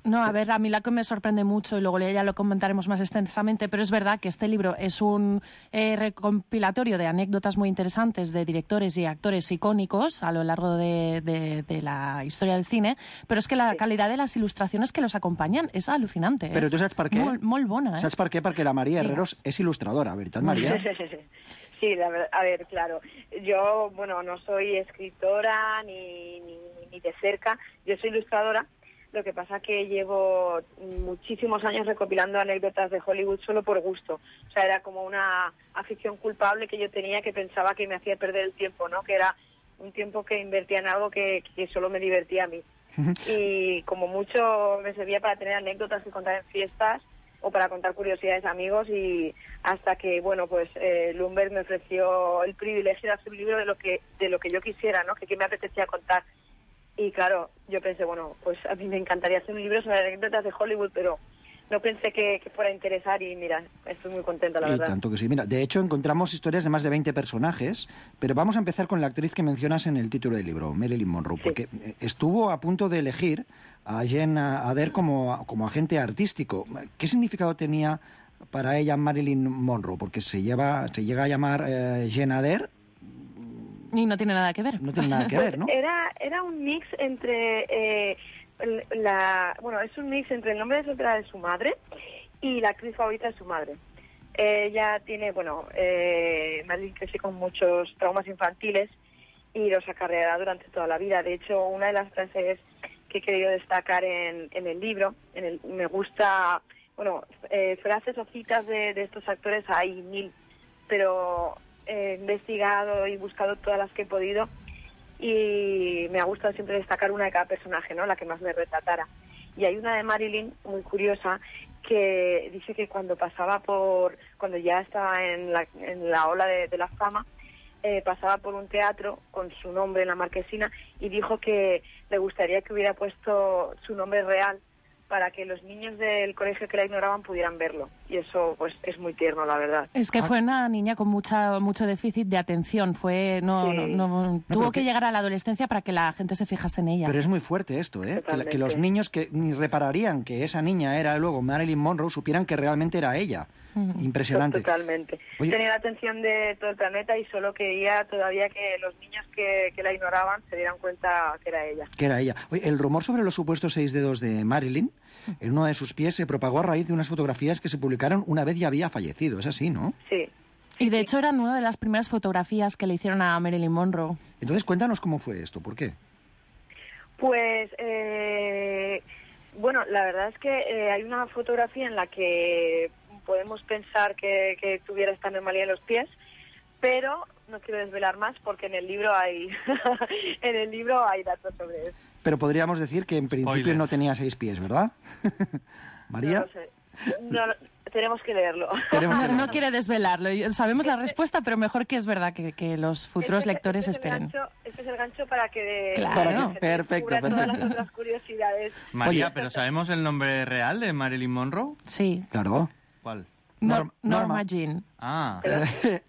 No, a ver, a mí la que me sorprende mucho, y luego ya lo comentaremos más extensamente, pero es verdad que este libro es un eh, recompilatorio de anécdotas muy interesantes de directores y actores icónicos a lo largo de, de, de la historia del cine, pero es que la calidad de las ilustraciones que los acompañan es alucinante. Però es tu saps per què? Molt, molt bona, eh? Saps per què? Perquè la Maria Digues. Herreros és il·lustradora, veritat, Maria? Sí, la verdad, a ver, claro. Yo, bueno, no soy escritora ni, ni, ni de cerca, yo soy ilustradora. Lo que pasa que llevo muchísimos años recopilando anécdotas de Hollywood solo por gusto. O sea, era como una afición culpable que yo tenía que pensaba que me hacía perder el tiempo, ¿no? Que era un tiempo que invertía en algo que, que solo me divertía a mí. Y como mucho me servía para tener anécdotas que contar en fiestas o para contar curiosidades a amigos, y hasta que, bueno, pues eh, Lumberg me ofreció el privilegio de hacer un libro de lo que de lo que yo quisiera, ¿no? Que, que me apetecía contar. Y claro, yo pensé, bueno, pues a mí me encantaría hacer un libro sobre anécdotas de Hollywood, pero no pensé que, que fuera a interesar, y mira, estoy muy contenta, la Y verdad. tanto que sí. Mira, de hecho encontramos historias de más de veinte personajes, pero vamos a empezar con la actriz que mencionas en el título del libro, Marilyn Monroe, porque eh, estuvo a punto de elegir a Jen Adair como, como agente artístico. ¿Qué significado tenía para ella Marilyn Monroe? Porque se, lleva, se llega a llamar eh, Jen Adair. Y no tiene nada que ver. No tiene nada que ver, ¿no? Era, era un mix entre... Eh, la, bueno, es un mix entre el nombre de soltera de su madre y la actriz favorita es su madre. Ella tiene, bueno, eh, Marilyn creció con muchos traumas infantiles y los acarreará durante toda la vida. De hecho, una de las frases que he querido destacar en, en el libro, en el, me gusta, bueno, eh, frases o citas de, de estos actores hay mil, pero he investigado y buscado todas las que he podido y me ha gustado siempre destacar una de cada personaje, ¿no? La que más me retratara. Y hay una de Marilyn muy curiosa que dice que cuando pasaba por, cuando ya estaba en la, en la ola de, de la fama, eh, pasaba por un teatro con su nombre en la marquesina y dijo que le gustaría que hubiera puesto su nombre real para que los niños del colegio que la ignoraban pudieran verlo. Y eso pues es muy tierno, la verdad. Es que fue una niña con mucha mucho déficit de atención. Fue no, Sí. no, no- tuvo que llegar a la adolescencia para que la gente se fijase en ella. Pero es muy fuerte esto, ¿eh? Que, la- que Totalmente. los niños que ni repararían que esa niña era luego Marilyn Monroe supieran que realmente era ella. Impresionante. Totalmente. Oye- Tenía la atención de todo el planeta y solo quería todavía que los niños que, que la ignoraban se dieran cuenta que era ella. Que era ella. Oye, el rumor sobre los supuestos seis dedos de Marilyn en uno de sus pies se propagó a raíz de unas fotografías que se publicaron una vez ya había fallecido. Es así, ¿no? Sí. Y de hecho eran una de las primeras fotografías que le hicieron a Marilyn Monroe. Entonces cuéntanos cómo fue esto. ¿Por qué? Pues, eh, bueno, la verdad es que eh, hay una fotografía en la que podemos pensar que, que tuviera esta anomalía en los pies, pero no quiero desvelar más porque en el libro hay en el libro hay datos sobre eso. Pero podríamos decir que en principio Spoiler. no tenía seis pies, ¿verdad? María. No lo sé. No, no, tenemos que leerlo. No, no quiere desvelarlo. Y sabemos la respuesta, pero mejor que es verdad que, que los futuros Este- lectores este es el esperen. gancho- este es el gancho para que, Claro. para que Para que- se perfecto, descubran todas las perfecto. otras curiosidades. María, ¿pero sabemos el nombre real de Marilyn Monroe? Sí. Claro. ¿Cuál? Nor- Norma. Norma Jean. Ah.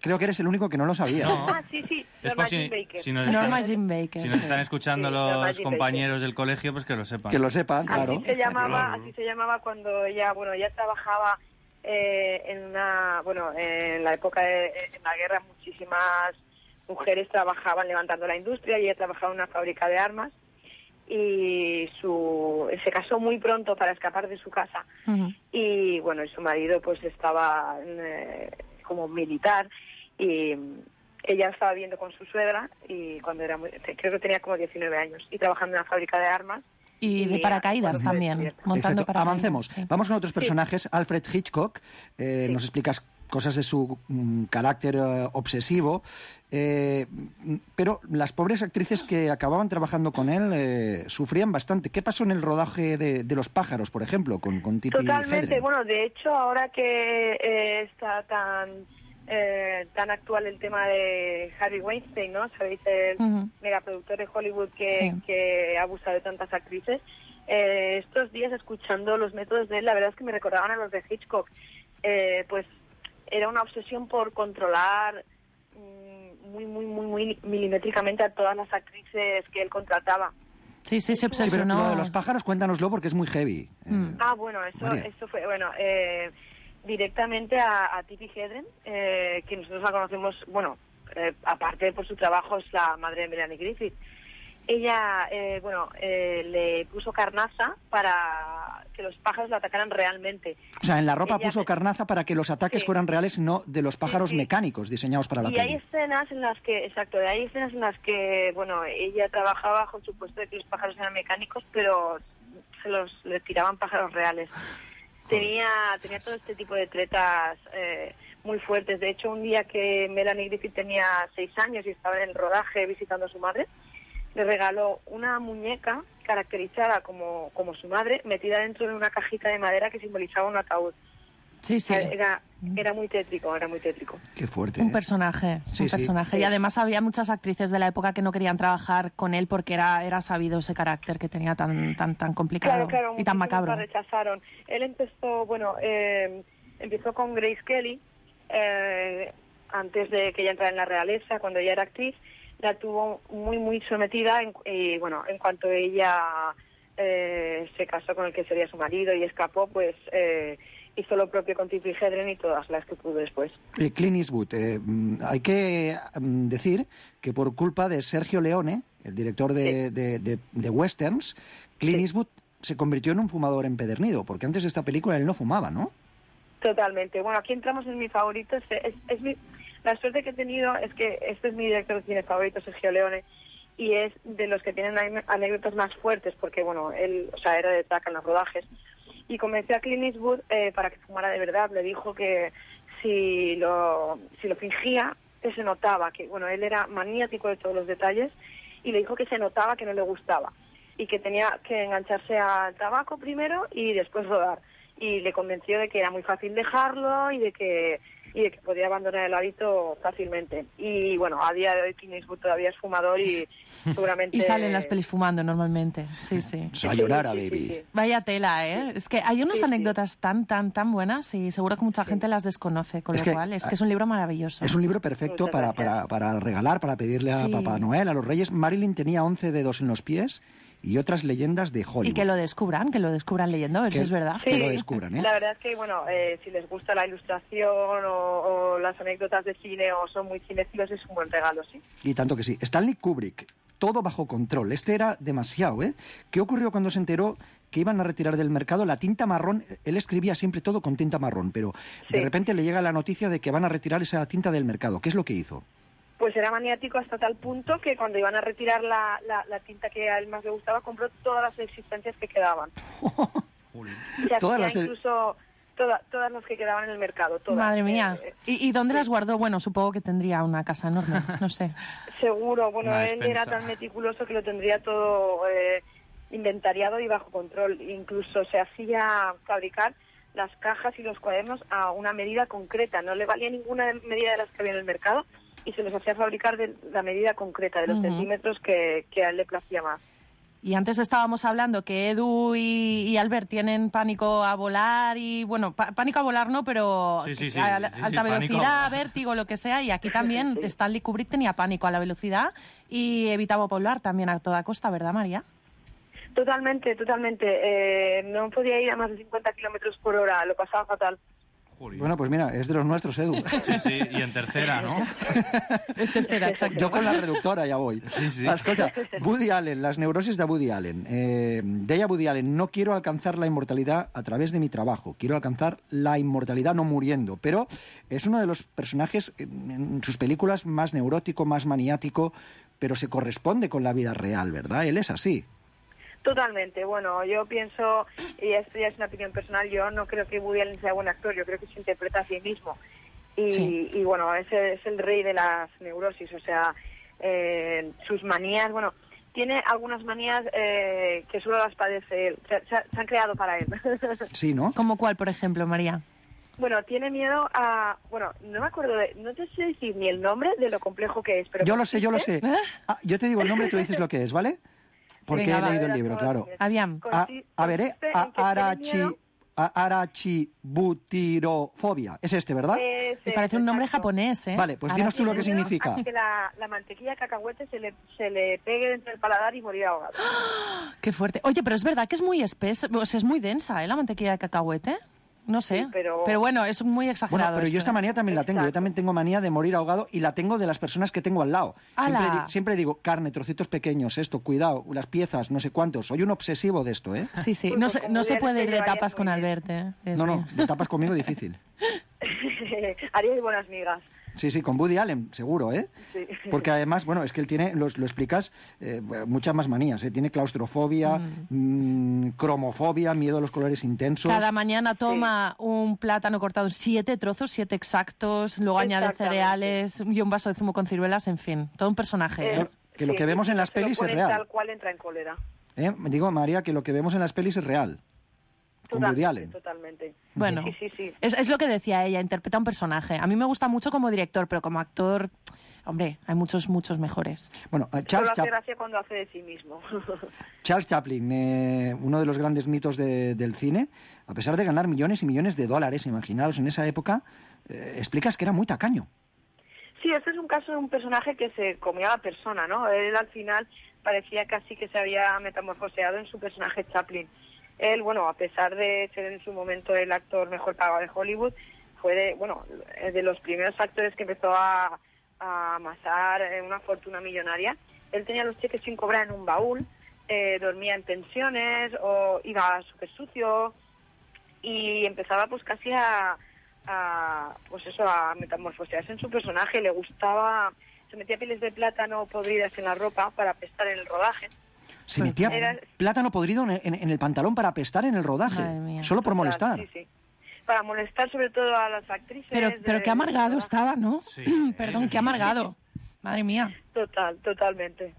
Creo que eres el único que no lo sabía. No. Ah, sí, sí. Es Norma por si, Jean Baker. si nos Norma están, Jean Baker. si nos sí. están escuchando Sí, Norma los Jean compañeros del colegio, pues que lo sepan. Que lo sepan, claro. Así se llamaba, así se llamaba cuando ella, bueno, ella trabajaba eh, en una, bueno, en la época de en la guerra muchísimas mujeres trabajaban levantando la industria y ella trabajaba en una fábrica de armas y su se casó muy pronto para escapar de su casa Ujú. y bueno, y su marido pues estaba eh, como militar y ella estaba viviendo con su suegra y cuando era muy, creo que tenía como diecinueve años y trabajando en una fábrica de armas. Y de Y, paracaídas bueno, fue también. descubierta. Montando Exacto. paracaídas. Avancemos. sí. Vamos con otros personajes. Alfred Hitchcock. eh, Nos explicas cosas de su mm, carácter eh, obsesivo. eh, mm, pero las pobres actrices que acababan trabajando con él eh, sufrían bastante. ¿Qué pasó en el rodaje de, de Los pájaros, por ejemplo, con, con Tippi Totalmente. Hedren? Bueno, de hecho, ahora que eh, está tan eh, tan actual el tema de Harvey Weinstein, ¿no? Sabéis, el Ujú. megaproductor de Hollywood que, Sí. que ha abusado de tantas actrices. Eh, estos días, escuchando los métodos de él, la verdad es que me recordaban a los de Hitchcock. Eh, pues era una obsesión por controlar mm, muy, muy, muy, muy milimétricamente a todas las actrices que él contrataba. Sí, sí, se Sí, pero obsesionó. lo de los pájaros, cuéntanoslo porque es muy heavy. Mm. Ah, bueno, eso, María. eso fue, bueno, eh, directamente a, a Tippi Hedren, eh, que nosotros la conocemos, bueno, eh, aparte por su trabajo, es la madre de Melanie Griffith. Ella, eh, bueno, eh, le puso carnaza para que los pájaros la atacaran realmente. O sea, en la ropa Ella- puso carnaza para que los ataques Sí. fueran reales, no de los pájaros sí. mecánicos diseñados para la Y hay peli. escenas en las que, exacto, hay escenas en las que, bueno, ella trabajaba bajo el supuesto de que los pájaros eran mecánicos, pero se los le tiraban pájaros reales. Tenía, tenía todo este tipo de tretas eh, muy fuertes. De hecho, un día que Melanie Griffith tenía seis años y estaba en el rodaje visitando a su madre, le regaló una muñeca caracterizada como, como su madre, metida dentro de una cajita de madera que simbolizaba un ataúd. Sí, sí. Era, era muy tétrico, era muy tétrico. Qué fuerte. Un ¿eh? personaje, Sí, un sí. personaje. Y además había muchas actrices de la época que no querían trabajar con él porque era, era sabido ese carácter que tenía tan, tan, tan complicado Claro, claro, y tan muchísimos macabro. la rechazaron. Él empezó, bueno, eh, empezó con Grace Kelly, eh, antes de que ella entrara en la realeza, cuando ella era actriz, la tuvo muy, muy sometida en- y, bueno, en cuanto ella eh, se casó con el que sería su marido y escapó, pues eh, hizo lo propio con Tippi Hedren y todas las que pudo después. Eh, Clint Eastwood, eh, mm, hay que mm, decir que por culpa de Sergio Leone, el director de, de- de- de westerns, Clint Eastwood se convirtió en un fumador empedernido, porque antes de esta película él no fumaba, ¿no? Totalmente. Bueno, aquí entramos en mi favorito. Es, es, es mi, la suerte que he tenido es que este es mi director de cine favorito, Sergio Leone, y es de los que tienen anécdotas más fuertes, porque, bueno, él, o sea, era de taca en los rodajes. Y convenció a Clint Eastwood eh, para que fumara de verdad. Le dijo que si lo, si lo fingía, que se notaba, que, bueno, él era maniático de todos los detalles, y le dijo que se notaba que no le gustaba, y que tenía que engancharse al tabaco primero y después rodar. Y le convenció de que era muy fácil dejarlo y de que y de que podía abandonar el hábito fácilmente. Y bueno, a día de hoy Clint Eastwood todavía es fumador y seguramente... Y salen las pelis fumando normalmente, sí, sí. Sayonara, baby. Sí, sí. Vaya tela, ¿eh? Es que hay unas Sí, sí. anécdotas tan, tan, tan buenas y seguro que mucha gente las desconoce, con Es lo que- cual es que es un libro maravilloso. Es un libro perfecto Muchas para, gracias. para, para regalar, para pedirle a Sí. Papá Noel, a los Reyes. Marilyn tenía once dedos en los pies y otras leyendas de Hollywood. Y que lo descubran, que lo descubran leyendo, a ver Que- si es verdad. que lo descubran, ¿eh? La verdad es que, bueno, eh, si les gusta la ilustración o, o las anécdotas de cine o son muy cinéfilos, es un buen regalo, sí. Y tanto que sí. Stanley Kubrick, todo bajo control. Este era demasiado, ¿eh? ¿Qué ocurrió cuando se enteró que iban a retirar del mercado la tinta marrón? Él escribía siempre todo con tinta marrón, pero de Sí. repente le llega la noticia de que van a retirar esa tinta del mercado. ¿Qué es lo que hizo? Pues era maniático hasta tal punto que cuando iban a retirar la, la, la tinta que a él más le gustaba, compró todas las existencias que quedaban. Se Todas hacía las de- incluso toda- todas las que quedaban en el mercado, todas. Madre mía. Eh, ¿Y, y dónde las guardó? Bueno, supongo que tendría una casa enorme, no sé. seguro, bueno, Una él despensa. era tan meticuloso que lo tendría todo eh, inventariado y bajo control. Incluso se hacía fabricar las cajas y los cuadernos a una medida concreta. No le valía ninguna medida de las que había en el mercado y se los hacía fabricar de la medida concreta, de los Ujú. centímetros que, que a él le placía más. Y antes estábamos hablando que Edu y, y Albert tienen pánico a volar y, bueno, pa- pánico a volar no, pero Sí, sí, sí, a la- sí, sí, alta pánico a velocidad, volar. vértigo, lo que sea. Y aquí también Stanley Kubrick tenía pánico a la velocidad y evitaba volar también a toda costa, ¿verdad, María? Totalmente, totalmente. Eh, no podía ir a más de cincuenta kilómetros por hora, lo pasaba fatal. Bueno, pues mira, es de los nuestros, Edu. Sí, sí, y en tercera, ¿no? Es tercera, exacto. Yo con la reductora ya voy. Sí, sí. Escolta, Woody Allen, las neurosis de Woody Allen. Eh, deia Woody Allen, no quiero alcanzar la inmortalidad a través de mi trabajo, quiero alcanzar la inmortalidad no muriendo. Pero es uno de los personajes en, en sus películas más neurótico, más maniático, pero se corresponde con la vida real, ¿verdad? Él es así. Totalmente. Bueno, yo pienso, y esto ya es una opinión personal, yo no creo que Woody Allen sea buen actor, yo creo que se interpreta a sí mismo. Y, Sí. y bueno, ese es el rey de las neurosis, o sea, eh, sus manías, bueno, tiene algunas manías eh, que solo las padece él, se, se- se han creado para él. Sí, ¿no? ¿Como cuál, por ejemplo, María? Bueno, tiene miedo a... Bueno, no me acuerdo de... No te sé decir ni el nombre de lo complejo que es, pero... Yo lo sé, yo lo sé. Ah, yo te digo el nombre y tú dices lo que es, ¿vale? Porque Venga, he va. leído el libro, claro. Aviam. A, Consi- a ver, ¿eh? consiste en A- que tiene arachi, miedo- a- arachibutirofobia. Es este, ¿verdad? Ese, Me parece un nombre exacto. japonés, ¿eh? Vale, pues dinos tú lo que Tiene miedo significa. a que la, la mantequilla de cacahuete se le, se le pegue dentro del paladar y morir ahogado. Qué fuerte. Oye, pero es verdad que es muy espesa, o sea, es muy densa, ¿eh? La mantequilla de cacahuete. No sé. Sí, pero- bueno, es muy exagerado. Bueno, pero yo esto, esta ¿eh? manía también la tengo. Yo también tengo manía de morir ahogado y la tengo de las personas que tengo al lado. Siempre, ¡Hala! di- siempre digo, carne, trocitos pequeños, esto, cuidado, las piezas, no sé cuántos. Soy un obsesivo de esto, ¿eh? Sí, sí. Pues No se, como no se Woody puede Allen ir te de llevaría tapas muy con bien. Albert, ¿eh? Dios No, no, mío. de tapas conmigo difícil. Haríais buenas migas. Sí, sí, con Woody Allen, seguro, ¿eh? Sí. Porque además, bueno, es que él tiene, los- lo explicas, eh, muchas más manías, ¿eh? Tiene claustrofobia, mm, cromofobia, miedo a los colores intensos. Cada mañana toma un plátano cortado en siete trozos, siete exactos, luego añade Exactamente. cereales y un vaso de zumo con ciruelas, en fin, todo un personaje. ¿eh? Eh, que lo sí, que vemos en las se lo pelis es ponen real. Tal cual entra en cólera. ¿Eh? Digo, María, que lo que vemos en las pelis es real. Con Woody Totalmente, Allen. totalmente. Bueno, Sí, sí, sí. Es, es lo que decía ella, interpreta un personaje. A mí me gusta mucho como director, pero como actor, hombre, hay muchos, muchos mejores. Bueno, eh, Solo Charles, hace Chap- gracia cuando hace de sí mismo. Charles Chaplin, eh, uno de los grandes mitos de- del cine, a pesar de ganar millones y millones de dólares, imaginaros, en esa época, eh, explicas que era muy tacaño. Sí, este es un caso de un personaje que se comía a la persona, ¿no? Él al final parecía casi que se había metamorfoseado en su personaje Chaplin. Él, bueno, a pesar de ser en su momento el actor mejor pagado de Hollywood, fue de, bueno, de los primeros actores que empezó a, a amasar eh, una fortuna millonaria. Él tenía los cheques sin cobrar en un baúl, eh, dormía en pensiones o iba súper sucio y empezaba pues casi a, a, pues eso, a metamorfosearse en su personaje. Le gustaba, se metía pieles de plátano podridas en la ropa para apestar en el rodaje. Se metía Era- plátano podrido en, en- en el pantalón para apestar en el rodaje, solo por molestar. Sí, sí. Para molestar sobre todo a las actrices. Pero, de- pero qué amargado estaba, ¿no? Perdón, qué amargado. Madre mía. Total, totalmente.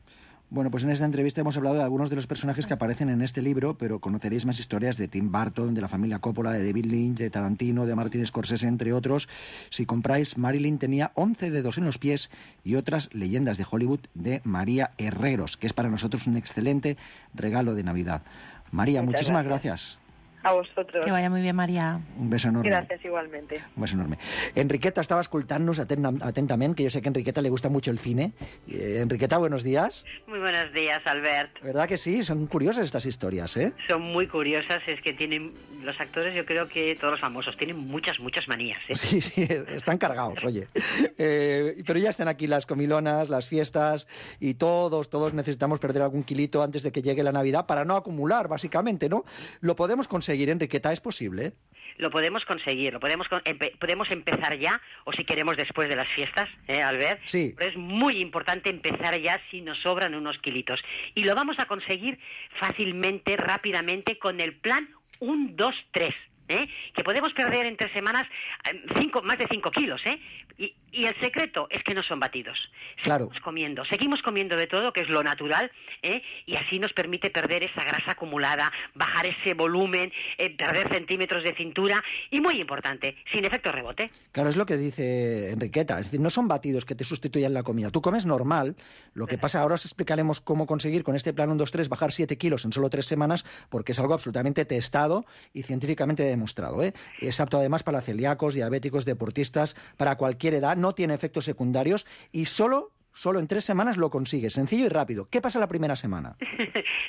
Bueno, pues en esta entrevista hemos hablado de algunos de los personajes que aparecen en este libro, pero conoceréis más historias de Tim Burton, de la familia Coppola, de David Lynch, de Tarantino, de Martin Scorsese, entre otros. Si compráis, Marilyn tenía once dedos en los pies y otras leyendas de Hollywood de María Herreros, que es para nosotros un excelente regalo de Navidad. María, Muchas muchísimas gracias. gracias. A vosotros. Que vaya muy bien, María. Un beso enorme. Gràcies, igualmente. Un beso enorme. Enriqueta estaba escoltant-nos aten- atentament, que yo sé que a Enriqueta le gusta mucho el cine. Eh, Enriqueta, buenos días. Muy buenos días, Albert. ¿Verdad que sí? Son curiosas estas historias, ¿eh? Son muy curiosas, es que tienen los actores, yo creo que todos los famosos tienen muchas, muchas manías. ¿eh? Sí, sí, están cargados, oye. Eh, pero ya están aquí las comilonas, las fiestas y todos, todos necesitamos perder algún kilito antes de que llegue la Navidad para no acumular, básicamente, ¿no? Lo podemos conseguir, Enriqueta, ¿es posible? Lo podemos conseguir, lo podemos con- empe- podemos empezar ya, o si queremos después de las fiestas, ¿eh, Albert? Sí. Pero es muy importante empezar ya si nos sobran unos kilitos. Y lo vamos a conseguir fácilmente, rápidamente, con el plan uno, dos, tres. ¿Eh? Que podemos perder en tres semanas eh, cinco, más de cinco kilos, ¿eh? Y, y el secreto es que no son batidos. Claro. Seguimos comiendo, seguimos comiendo de todo, que es lo natural, ¿eh? Y así nos permite perder esa grasa acumulada, bajar ese volumen, eh, perder centímetros de cintura y, muy importante, sin efecto rebote. Claro, es lo que dice Enriqueta. Es decir, no son batidos que te sustituyan la comida. Tú comes normal. Lo que pasa, ahora os explicaremos cómo conseguir con este plan uno, dos, tres bajar siete kilos en solo tres semanas, porque es algo absolutamente testado y científicamente demostrado, ¿eh? Es apto además para celíacos, diabéticos, deportistas, para cualquier edad, no tiene efectos secundarios y solo, solo en tres semanas lo consigues, sencillo y rápido. ¿Qué pasa la primera semana?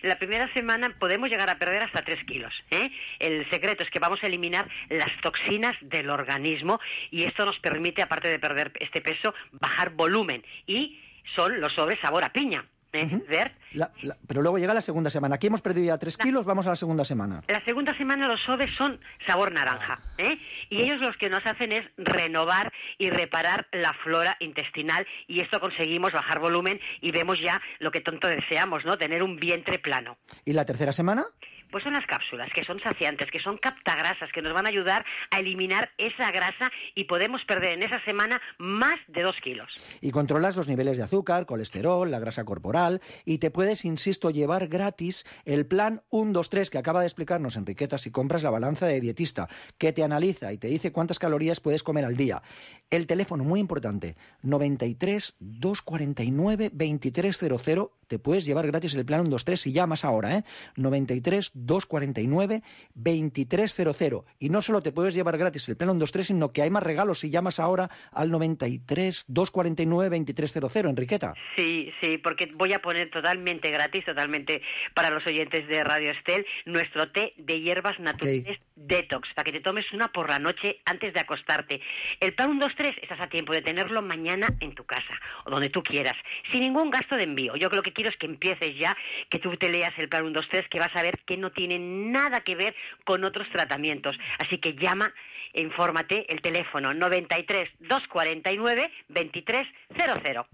La primera semana podemos llegar a perder hasta tres kilos. ¿eh? El secreto es que vamos a eliminar las toxinas del organismo y esto nos permite, aparte de perder este peso, bajar volumen. Y son los sobres sabor a piña. ¿eh? Bert? La- la- pero luego llega la segunda semana. Aquí hemos perdido ya tres kilos, vamos a la segunda semana. La segunda semana los sobres son sabor naranja, ¿eh? Y ellos los que nos hacen es renovar y reparar la flora intestinal y esto conseguimos bajar volumen y vemos ya lo que tanto deseamos, ¿no? Tener un vientre plano. ¿Y la tercera semana? Pues son las cápsulas, que son saciantes, que son captagrasas, que nos van a ayudar a eliminar esa grasa y podemos perder en esa semana más de dos kilos. Y controlas los niveles de azúcar, colesterol, la grasa corporal y te puedes, insisto, llevar gratis el plan uno, dos, tres que acaba de explicarnos Enriqueta si compras la balanza de dietista, que te analiza y te dice cuántas calorías puedes comer al día. El teléfono, muy importante, noventa y tres, doscientos cuarenta y nueve, veintitrés cero cero. Te puedes llevar gratis el plan uno, dos, tres si llamas ahora, ¿eh? noventa y tres, doscientos cuarenta y nueve, veintitrés cero cero. Y no solo te puedes llevar gratis el plan uno, dos, tres, sino que hay más regalos si llamas ahora al noventa y tres, doscientos cuarenta y nueve, veintitrés cero cero, Enriqueta. Sí, sí, porque voy a poner totalmente gratis, totalmente para los oyentes de Radio Estel, nuestro té de hierbas naturales Detox, para que te tomes una por la noche antes de acostarte. El plan uno, dos, tres, estás a tiempo de tenerlo mañana en tu casa, o donde tú quieras, sin ningún gasto de envío. Yo lo que quiero es que empieces ya, que tú te leas el plan uno, dos, tres, que vas a ver que no tiene nada que ver con otros tratamientos. Así que llama, infórmate, el teléfono noventa y tres, doscientos cuarenta y nueve, veintitrés cero cero.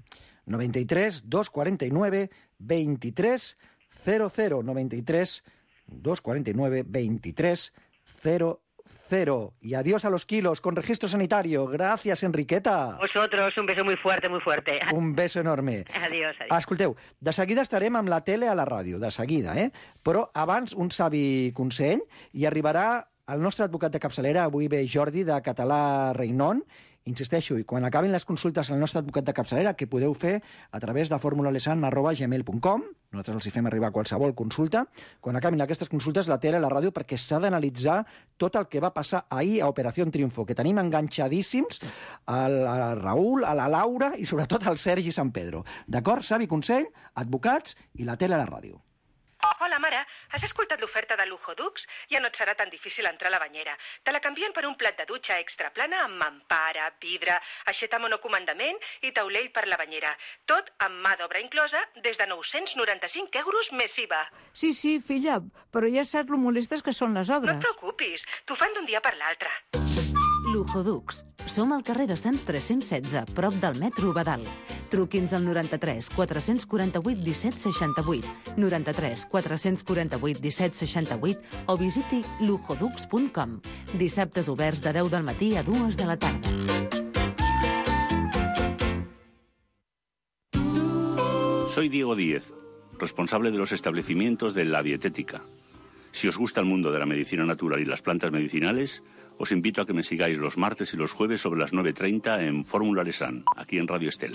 noventa y tres, doscientos cuarenta y nueve, veintitrés cero cero. noventa y tres, doscientos cuarenta y nueve, veintitrés cero cero. Y adiós a los kilos con registro sanitario. Gracias, Enriqueta. Vosotros, un beso muy fuerte, muy fuerte. Un beso enorme. Adiós, adiós. Escolteu, de seguida estarem amb la tele a la ràdio, de seguida, eh? Però abans un savi consell i arribarà el nostre advocat de capçalera, avui ve Jordi, de Català Reinon. Insisteixo, i quan acabin les consultes al nostre advocat de capçalera, que podeu fer a través de formulalesan arroba gmail punt com, nosaltres els hi fem arribar qualsevol consulta, quan acabin aquestes consultes la tele a la ràdio, perquè s'ha d'analitzar tot el que va passar ahir a Operació Triunfo, que tenim enganxadíssims al, al Raül, a la Laura i sobretot al Sergi San Pedro. D'acord? Savi consell, advocats i la tele a la ràdio. Hola, mare. Has escoltat l'oferta de Lujo Dux? Ja no et serà tan difícil entrar a la banyera. Te la canvien per un plat de dutxa extra plana amb mampara, vidre, aixeta monocomandament i taulell per la banyera. Tot amb mà d'obra inclosa des de nou-cents noranta-cinc euros més I V A. Sí, sí, filla, però ja saps lo molestes que són les No obres. et preocupis, t'ho fan d'un dia per l'altre. Lujodux. Som al carrer de Sants tres-cents setze, prop del metro Badal. Truqui'ns al noranta-tres quatre-cents quaranta-vuit disset seixanta-vuit, noranta-tres quatre-cents quaranta-vuit disset seixanta-vuit o visiti lujodux punt com. Dissabtes oberts de deu del matí a dues de la tarda. Soy Diego Díez, responsable de los establecimientos de La Dietética. Si os gusta el mundo de la medicina natural y las plantas medicinales, os invito a que me sigáis los martes y los jueves sobre las nueve treinta en Fórmula Lesan, aquí en Radio Estel.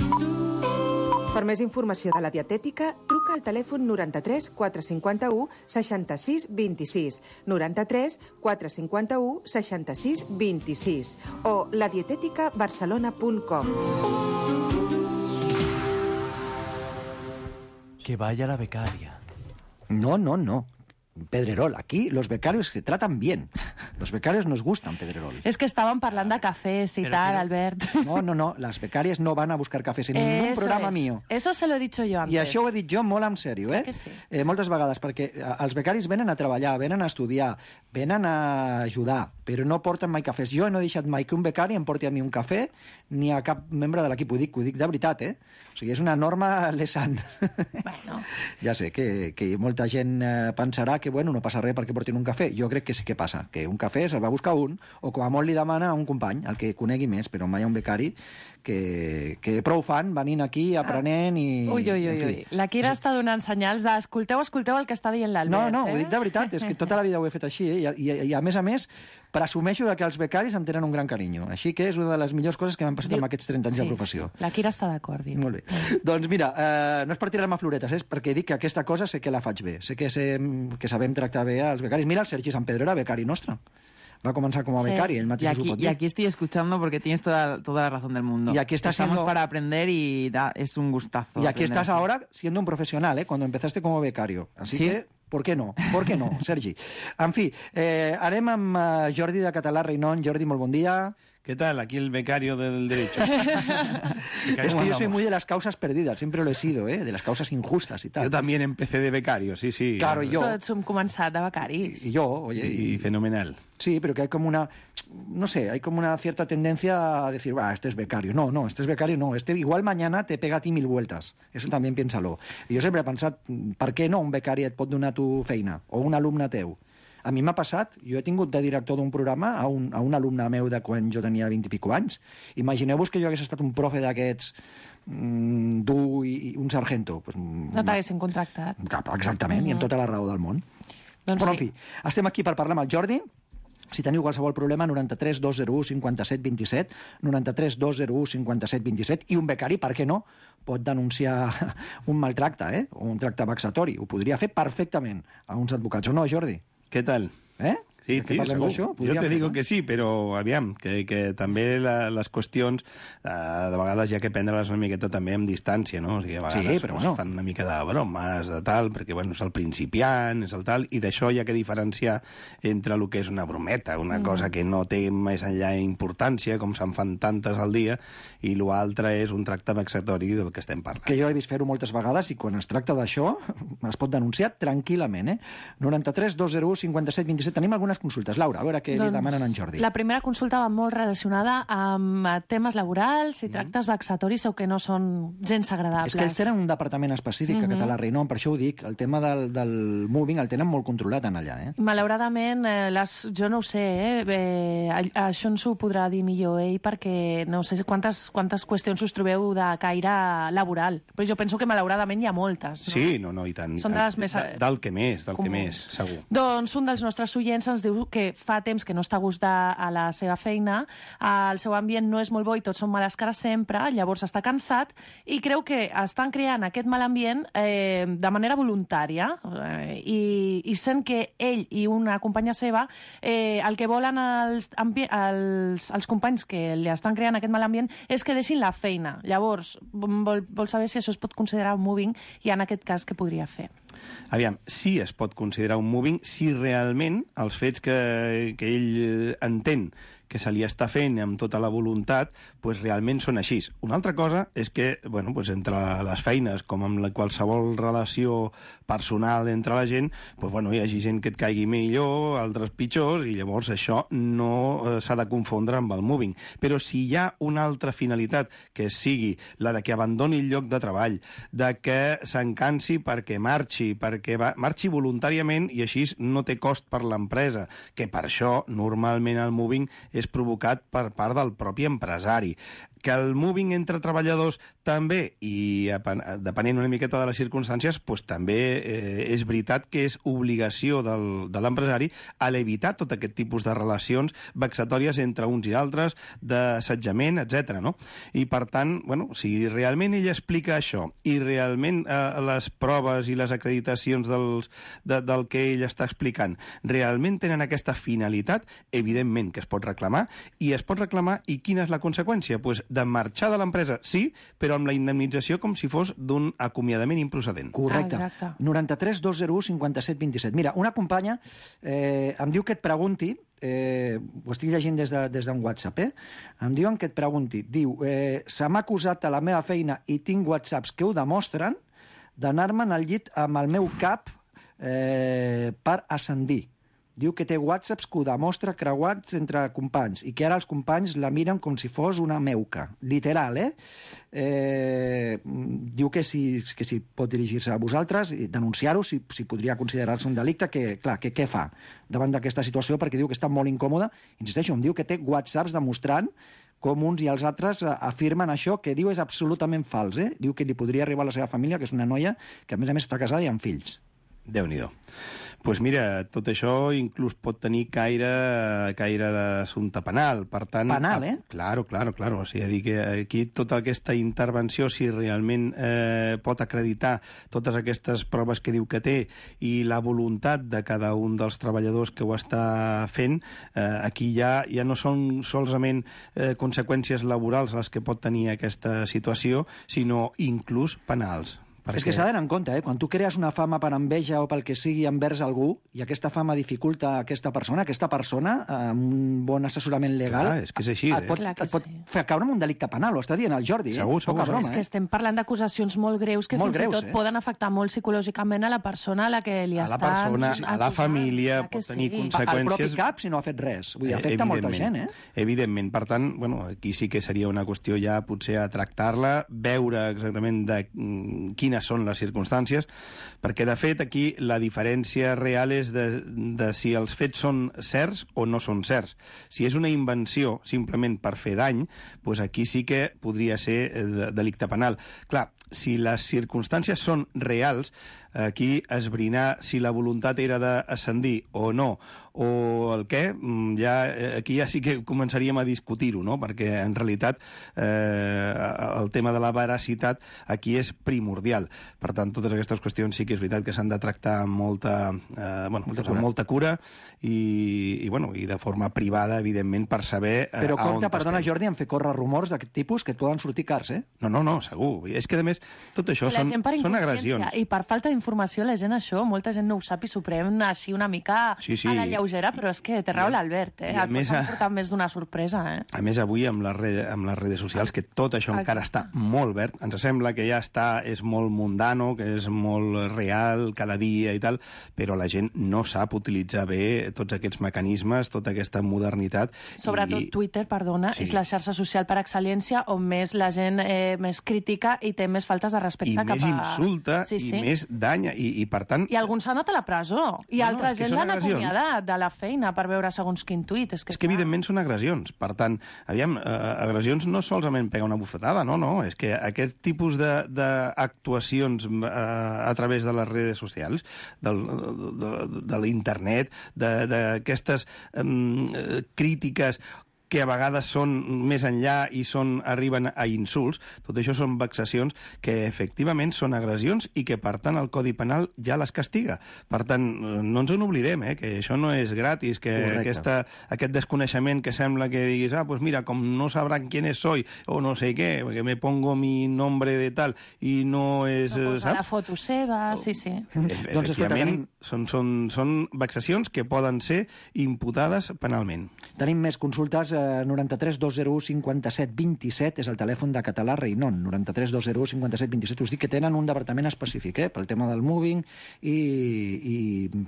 Per més informació de La Dietètica, truca al telèfon noranta-tres quatre cinquanta-u seixanta-sis vint-i-sis, noranta-tres quatre cinquanta-u seixanta-sis vint-i-sis o la dietética barcelona punt com. Que vaya la becaria. No, no, no. Pedrerol, aquí los becarios se tratan bien. Los becarios nos gustan, Pedrerol. Es que estaban hablando de cafés y Pero tal, quiero- Albert. No, no, no, las becarias no van a buscar cafès en ningún Eso programa es. mío. Eso se lo he dicho yo antes. I això ho he dit jo molt en sèrio, eh? Que sí. eh? Moltes vegades, perquè eh, els becaris venen a treballar, venen a estudiar, venen a ajudar, però no porten mai cafès. Jo no he deixat mai que un becari em porti a mi un cafè ni a cap membre de l'equip. Ho dic, ho dic de veritat, eh? O sigui, és una norma Lesan. Bueno. Ja sé que, que molta gent eh, pensarà que, bueno, no passa res perquè portin un cafè. Jo crec que sí que passa, que un cafè se'l va buscar un, o com a molt li demana a un company, el que conegui més, però mai a un becari que, que prou fan venint aquí, aprenent i... Ui, ui, en ui, fi. ui. La Kira està donant senyals de escolteu, escolteu el que està dient l'Albert. No, no, eh? ho dic de veritat, és que tota la vida ho he fet així, eh? I, i, i a més a més presumeixo de que els becaris em tenen un gran carinyo. Així que és una de les millors coses que m'han passat Diu- amb aquests trenta anys Sí, de professió. sí. La Kira està d'acord, diu. Molt bé. Doncs mira, eh, no és per tirar-me floretes, és perquè dic que aquesta cosa sé que la faig bé, sé que, sé, que sabem tractar bé als becaris. Mira, el Sergi Sant Pedro era becari nostre. Va començar com a Sí. becari, ell Y mateix ho aquí, pot y dir. aquí estoy escuchando porque tienes toda, toda la razón del mundo. Y aquí estás Estamos siendo- para aprender y da- es un gustazo. Y aquí aprender estás así. ahora siendo un profesional, ¿eh? Cuando empezaste como becario. Así Sí. que, ¿por qué no? ¿Por qué no, Sergi? En fi, eh, anem amb eh, Jordi de Català Reynon. Jordi, molt bon dia. ¿Qué tal? Aquí el becario del derecho. Es que yo soy muy de las causas perdidas, siempre lo he sido, ¿eh? De las causas injustas y tal. Yo también empecé de becario, sí, sí. Claro, y yo. Tots hem començat de becaris. Y yo, oye. Y fenomenal. Sí, pero que hay como una, no sé, hay como una cierta tendencia a decir, va, este es becario. No, no, este es becario, no. Este igual mañana te pega a ti mil vueltas. Eso también piénsalo. I jo sempre he pensat, per què no un becari et pot donar tu feina? O un alumne teu? A mi m'ha passat, jo he tingut de director d'un programa a un, a un alumne meu de quan jo tenia vint i pico anys. Imagineu-vos que jo hagués estat un profe d'aquests mm, dur i, i un sargento. Pues, No t'haguessin contractat. cap, exactament, mm -hmm. i amb tota la raó del món. Doncs Però, sí. en fi, estem aquí per parlar amb el Jordi. Si teniu qualsevol problema, noranta-tres dos zero u cinquanta-set vint-i-set, noranta-tres dos zero u cinquanta-set vint-i-set, i un becari, per què no, pot denunciar un maltracte, eh? O un tracte vexatori. Ho podria fer perfectament a uns advocats, o no, Jordi? ¿Qué tal? Eh? Sí, Que sí, parlem segur. d'això, Jo podríem te fer, digo no? que sí, però aviam, que, que també la, les qüestions eh, de vegades hi ha que prendre-les una miqueta també amb distància, no? O sigui, a vegades Sí, però pues, bueno. fan una mica de bromes, de tal, perquè bueno, és el principiant, és el tal, i d'això hi ha que diferenciar entre el que és una brometa, una Mm. cosa que no té més enllà importància, com se'n fan tantes al dia, i l'altre és un tracte vexatori del que estem parlant. Que jo he vist fer-ho moltes vegades i quan es tracta d'això es pot denunciar tranquil·lament, eh? noranta-tres dos zero u cinquanta-set vint-i-set. Tenim algunes consultes. Laura, a veure què li demanen a en Jordi. La primera consulta va molt relacionada amb eh, temes laborals i tractes vexatoris o que no són gens agradables. És que ells tenen un departament específic a Mhm. Català Reynon, per això ho dic, el tema del, del moving el tenen molt controlat en allà, eh? Malauradament, eh, les, jo no ho sé, eh, eh, a- això ens ho podrà dir millor ell, perquè no sé quantes, quantes qüestions us trobeu de caire laboral, però jo penso que malauradament hi ha moltes. No? Sí, no, no, i tant. i Són de tant. les més- De- Del que més, del que comuns. més, segur. Doncs un dels nostres oients ens diu que fa temps que no està a gust de, a la seva feina, el seu ambient no és molt bo i tots són males cares sempre, llavors està cansat i creu que estan creant aquest mal ambient eh, de manera voluntària eh, i, i sent que ell i una companya seva eh, el que volen els, ambi- els, els companys que li estan creant aquest mal ambient és que deixin la feina. Llavors, vol, vol saber si això es pot considerar un moving i en aquest cas què podria fer. Aviam, sí es pot considerar un moving si realment els fets que, que ell eh, entén que se li està fent amb tota la voluntat, pues realment són així. Una altra cosa és que, bueno, pues entre les feines, com amb la qualsevol relació personal entre la gent, pues bueno, hi hagi gent que et caigui millor, altres pitjors, i llavors això no eh, s'ha de confondre amb el moving. Però si hi ha una altra finalitat, que sigui la de que abandoni el lloc de treball, de que s'encansi perquè marxi, perquè va, marxi voluntàriament i així no té cost per l'empresa, que per això normalment el moving és provocat per part del propi empresari. Que el moving entre treballadors també, i depenent una miqueta de les circumstàncies, doncs també eh, és veritat que és obligació del, de l'empresari a evitar tot aquest tipus de relacions vexatòries entre uns i altres, d'assetjament, etcètera. No? I per tant, bueno, si realment ell explica això i realment eh, les proves i les acreditacions dels, de, del que ell està explicant realment tenen aquesta finalitat, evidentment que es pot reclamar, i es pot reclamar, i quina és la conseqüència? Doncs de marxar de l'empresa, sí, però amb la indemnització com si fos d'un acomiadament improcedent. Correcte. Exacte. noranta-tres dos zero u cinquanta-set vint-i-set. Mira, una companya eh, em diu que et pregunti, eh, ho estic llegint des d'un de, des d'un WhatsApp, eh? Em diuen que et pregunti, diu, eh, se m'ha acusat a la meva feina i tinc WhatsApps que ho demostren d'anar-me'n al llit amb el meu cap eh, per ascendir. Diu que té whatsapps que ho demostra creuats entre companys i que ara els companys la miren com si fos una meuca. Literal, eh? eh diu que si, que si pot dirigir-se a vosaltres i denunciar-ho, si, si podria considerar-se un delicte, que, clar, que què fa davant d'aquesta situació? Perquè diu que està molt incòmode. Insisteixo, em diu que té whatsapps demostrant com uns i els altres afirmen això, que diu és absolutament fals, eh? Diu que li podria arribar a la seva família, que és una noia que, a més a més, està casada i amb fills. Déu-n'hi-do. Doncs pues mira, tot això inclús pot tenir caire, caire d'assumpte penal. Per tant, penal, eh? Claro, claro, claro. O sigui, dir que aquí tota aquesta intervenció, si realment eh, pot acreditar totes aquestes proves que diu que té i la voluntat de cada un dels treballadors que ho està fent, eh, aquí ja, ja no són solament eh, conseqüències laborals les que pot tenir aquesta situació, sinó inclús penals. Perquè... És que s'ha d'anar en compte, eh? Quan tu crees una fama per enveja o pel que sigui envers algú i aquesta fama dificulta a aquesta persona, aquesta persona, amb un bon assessorament legal... Clar, és que és així, et eh? pot, et pot sí. fer caure en un delicte penal, ho està dient el Jordi, segur, eh? Segur, broma, és que estem parlant d'acusacions molt greus que molt fins greus, i tot eh? poden afectar molt psicològicament a la persona a la que li a està... A la persona, a la família, pot tenir sí. conseqüències... Al propi cap, si no ha fet res. Vull dir, afecta molta gent, eh? Evidentment. Per tant, bueno, aquí sí que seria una qüestió ja potser a tractar-la, veure exactament de quines són les circumstàncies, perquè, de fet, aquí la diferència real és de, de si els fets són certs o no són certs. Si és una invenció simplement per fer dany, doncs aquí sí que podria ser de, delicte penal. Clar, si les circumstàncies són reals, aquí esbrinar si la voluntat era d'ascendir o no, o el què, ja, aquí ja sí que començaríem a discutir-ho, no? Perquè en realitat eh, el tema de la veracitat aquí és primordial. Per tant, totes aquestes qüestions sí que és veritat que s'han de tractar amb molta, eh, bueno, molta, amb molta cura i, i, bueno, i de forma privada, evidentment, per saber eh, Però a on compte, perdona, estem. Jordi, en fer córrer rumors d'aquest tipus que et poden sortir cars, eh? No, no, no, segur. És que, a més, tot això són, són agressions. I per falta d'informació, la gent això, molta gent no ho sap i s'ho pren així una mica sí, sí. a la lleugera, però és que té raó l'Albert, eh? Et pot portar més d'una sorpresa, eh? A més, avui, amb les, re, amb les redes socials, que tot això Exacte. encara està molt verd, ens sembla que ja està, és molt mundano, que és molt real cada dia i tal, però la gent no sap utilitzar bé tots aquests mecanismes, tota aquesta modernitat. Sobretot i... Twitter, perdona, sí. és la xarxa social per excel·lència on més la gent eh, més crítica i té més faltes de respecte I cap a... més insulta, sí, sí. i més danya, i, i per tant... I alguns s'han anat a la presó, i no, altra no, gent l'han acomiadat de la feina per veure segons quin tuit. És que, és que evidentment són agressions. Per tant, aviam, eh, agressions no solament pegar una bufetada, no, no, és que aquest tipus d'actuacions eh, a través de les redes socials, del, de, de, de l'internet, d'aquestes eh, crítiques que a vegades són més enllà i són, arriben a insults, tot això són vexacions que efectivament són agressions i que, per tant, el Codi Penal ja les castiga. Per tant, no ens en oblidem, eh, que això no és gratis, que aquesta, aquest desconeixement que sembla que diguis, ah, pues mira, com no sabran quién soy, o no sé què, que me pongo mi nombre de tal, i no és... No posa saps? la foto seva, sí, sí. Doncs, efectivament, són, són, són vexacions que poden ser imputades penalment. Tenim més consultes. eh, noranta-tres dos zero u cinquanta-set vint-i-set és el telèfon de Català Reinon, noranta-tres dos zero u cinquanta-set vint-i-set. Us dic que tenen un departament específic, eh, pel tema del moving i, i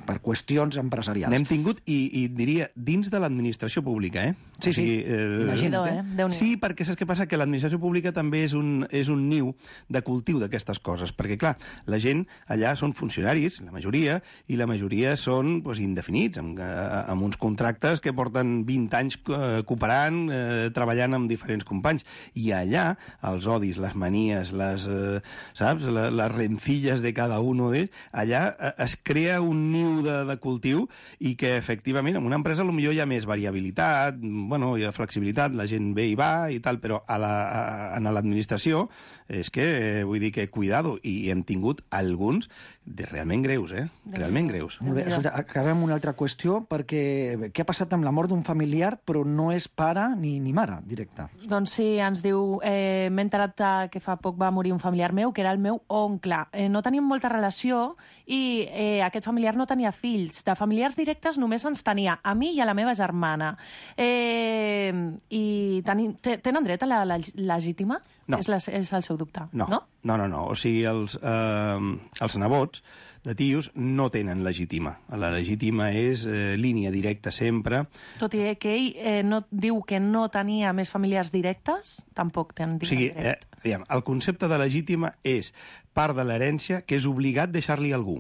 per qüestions empresarials. N'hem tingut, i, i diria, dins de l'administració pública, eh? Sí, sí, eh, imagina't, eh? Déu-n'hi-do. Sí, perquè saps què passa? Que l'administració pública també és un, és un niu de cultiu d'aquestes coses, perquè, clar, la gent allà són funcionaris, la majoria, i la majoria són doncs, indefinits, amb, amb uns contractes que porten vint anys eh, cooperant, eh, treballant amb diferents companys. I allà, els odis, les manies, les, eh, saps, les, les rencilles de cada un d'ells, allà eh, es crea un niu de, de cultiu i que, efectivament, en una empresa potser hi ha més variabilitat, bueno, hi ha flexibilitat, la gent ve i va i tal, però a la, a, en l'administració és que, eh, vull dir que, cuidado, i hem tingut alguns de realment greus, eh? Realment greus. Molt bé, escolta, acabem amb una altra qüestió, perquè què ha passat amb la mort d'un familiar, però no és pare ni, ni mare, directe? Doncs sí, ens diu, eh, m'he enterat que fa poc va morir un familiar meu, que era el meu oncle. Eh, no tenim molta relació i eh, aquest familiar no tenia fills. De familiars directes només ens tenia a mi i a la meva germana. Eh, I tenim, tenen dret a la, la legítima? No. És, la, és el seu dubte, no? No, no, no. no. O sigui, els, eh, els nebots de tios no tenen legítima. La legítima és eh, línia directa sempre. Tot i que ell eh, no, diu que no tenia més familiars directes, tampoc tenen o sigui, eh, aviam, el concepte de legítima és part de l'herència que és obligat deixar-li a algú.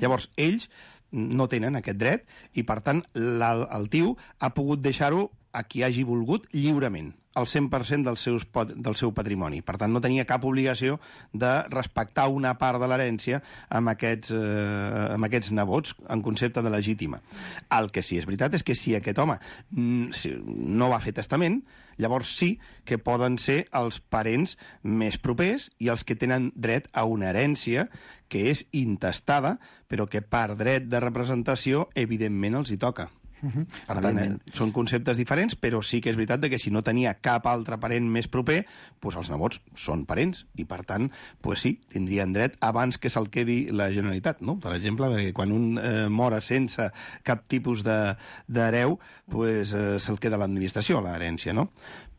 Llavors, ells no tenen aquest dret i, per tant, la, el tio ha pogut deixar-ho a qui hagi volgut lliurement, el cent per cent del, seus, del seu patrimoni. Per tant, no tenia cap obligació de respectar una part de l'herència amb, aquests, eh, amb aquests nebots en concepte de legítima. El que sí és veritat és que si aquest home no va fer testament, llavors sí que poden ser els parents més propers i els que tenen dret a una herència que és intestada, però que per dret de representació, evidentment, els hi toca. Uh-huh. Per tant, eh, són conceptes diferents, però sí que és veritat que si no tenia cap altre parent més proper, doncs els nebots són parents i, per tant, doncs sí, tindrien dret abans que se'l quedi la Generalitat, no? Per exemple, perquè quan un eh, mora sense cap tipus d'hereu, doncs eh, se'l queda l'administració, l'herència, no?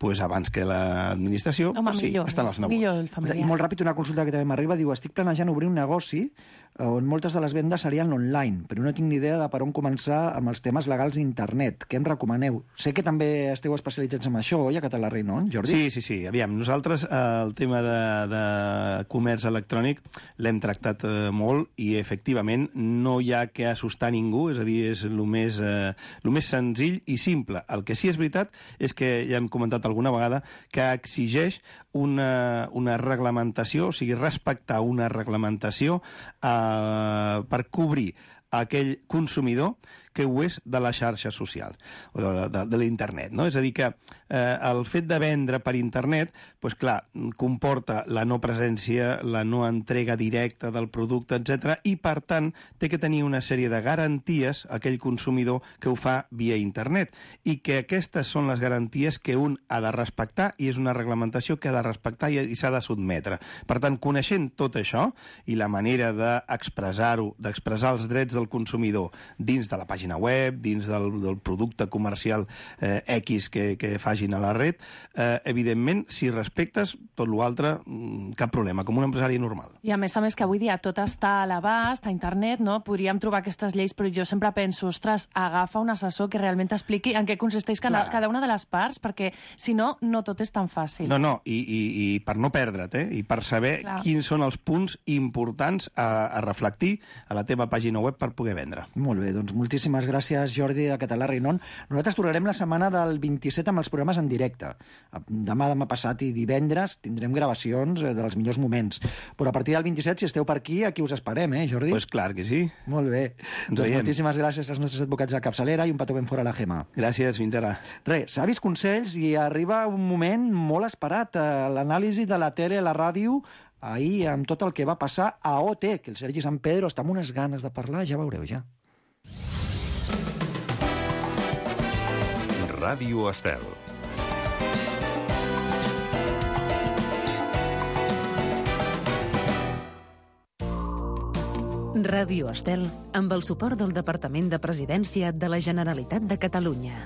Pues abans que l'administració, Home, sí, millor, estan els nebots. millor el familiar. I molt ràpid, una consulta que també m'arriba, diu, estic planejant obrir un negoci on moltes de les vendes serien online, però no tinc ni idea de per on començar amb els temes legals d'internet. Què em recomaneu? Sé que també esteu especialitzats en això, oi, a Català Reinon, Jordi? Sí, sí, sí. Aviam, nosaltres eh, el tema de, de comerç electrònic l'hem tractat eh, molt i, efectivament, no hi ha que assustar ningú, és a dir, és el més, eh, el més senzill i simple. El que sí és veritat és que, ja hem comentat alguna vegada, que exigeix una, una reglamentació, o sigui, respectar una reglamentació eh, per cobrir aquell consumidor que ho és de la xarxa social, o de, de, de l'internet, no? És a dir, que eh, el fet de vendre per internet, doncs clar, comporta la no presència, la no entrega directa del producte, etcètera, i, per tant, té que tenir una sèrie de garanties aquell consumidor que ho fa via internet, i que aquestes són les garanties que un ha de respectar, i és una reglamentació que ha de respectar i, i s'ha de sotmetre. Per tant, coneixent tot això, i la manera d'expressar-ho, d'expressar els drets del consumidor dins de la pàgina web, dins del, del producte comercial eh, X que, que facin a la red, eh, evidentment, si respectes tot l'altre, cap problema, com un empresari normal. I a més a més que avui dia tot està a l'abast, a internet, no? Podríem trobar aquestes lleis, però jo sempre penso, ostres, agafa un assessor que realment t'expliqui en què consisteix cada, cada una de les parts, perquè si no, no tot és tan fàcil. No, no, i, i, i per no perdre't, eh? I per saber Clar. quins són els punts importants a, a reflectir a la teva pàgina web per poder vendre. Molt bé, doncs moltíssimes gràcies, Jordi, de Català Reinon. Nosaltres tornarem la setmana del vint-i-set amb els programes en directe. Demà, demà passat i divendres tindrem gravacions dels millors moments. Però a partir del vint-i-set, si esteu per aquí, aquí us esperem, eh, Jordi? Pues clar que sí. Molt bé. Ens doncs veiem. Moltíssimes gràcies als nostres advocats de capçalera i un petó ben fora a la Gemma. Gràcies, fins ara. Res, savis consells i arriba un moment molt esperat, l'anàlisi de la tele a la ràdio ahir amb tot el que va passar a O T, que el Sergi San Pedro està amb unes ganes de parlar, ja veureu, ja. Ràdio Estel. Ràdio Estel, amb el suport del Departament de Presidència de la Generalitat de Catalunya.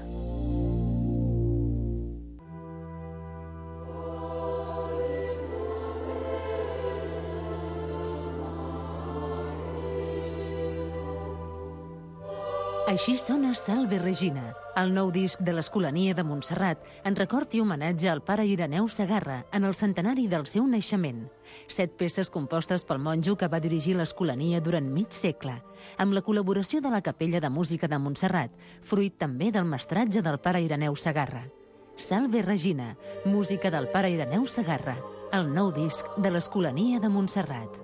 Així sona Salve Regina, el nou disc de l'Escolania de Montserrat, en record i homenatge al pare Ireneu Segarra en el centenari del seu naixement. Set peces compostes pel monjo que va dirigir l'Escolania durant mig segle, amb la col·laboració de la Capella de Música de Montserrat, fruit també del mestratge del pare Ireneu Segarra. Salve Regina, música del pare Ireneu Segarra, el nou disc de l'Escolania de Montserrat.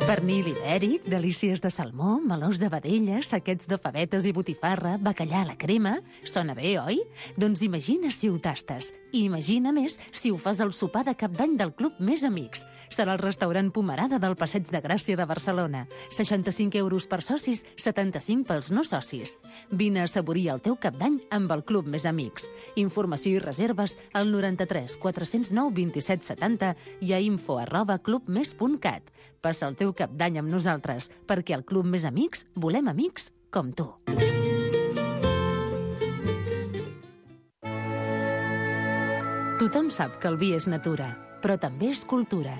Pernil ibèric, delícies de salmó, melós de vedella, saquets de favetes i botifarra, bacallà a la crema... Sona bé, oi? Doncs imagina si ho tastes. I imagina més si ho fas al sopar de cap d'any del Club Més Amics. Serà el restaurant Pomerada del Passeig de Gràcia de Barcelona. seixanta-cinc euros per socis, setanta-cinc pels no socis. Vine a assaborir el teu cap d'any amb el Club Més Amics. Informació i reserves al noranta-tres quatre-cents nou vint-i-set setanta i a info arroba clubmes punt cat. Passa el teu cap d'any amb nosaltres, perquè al Club Més Amics volem amics com tu. Tothom sap que el vi és natura, però també és cultura.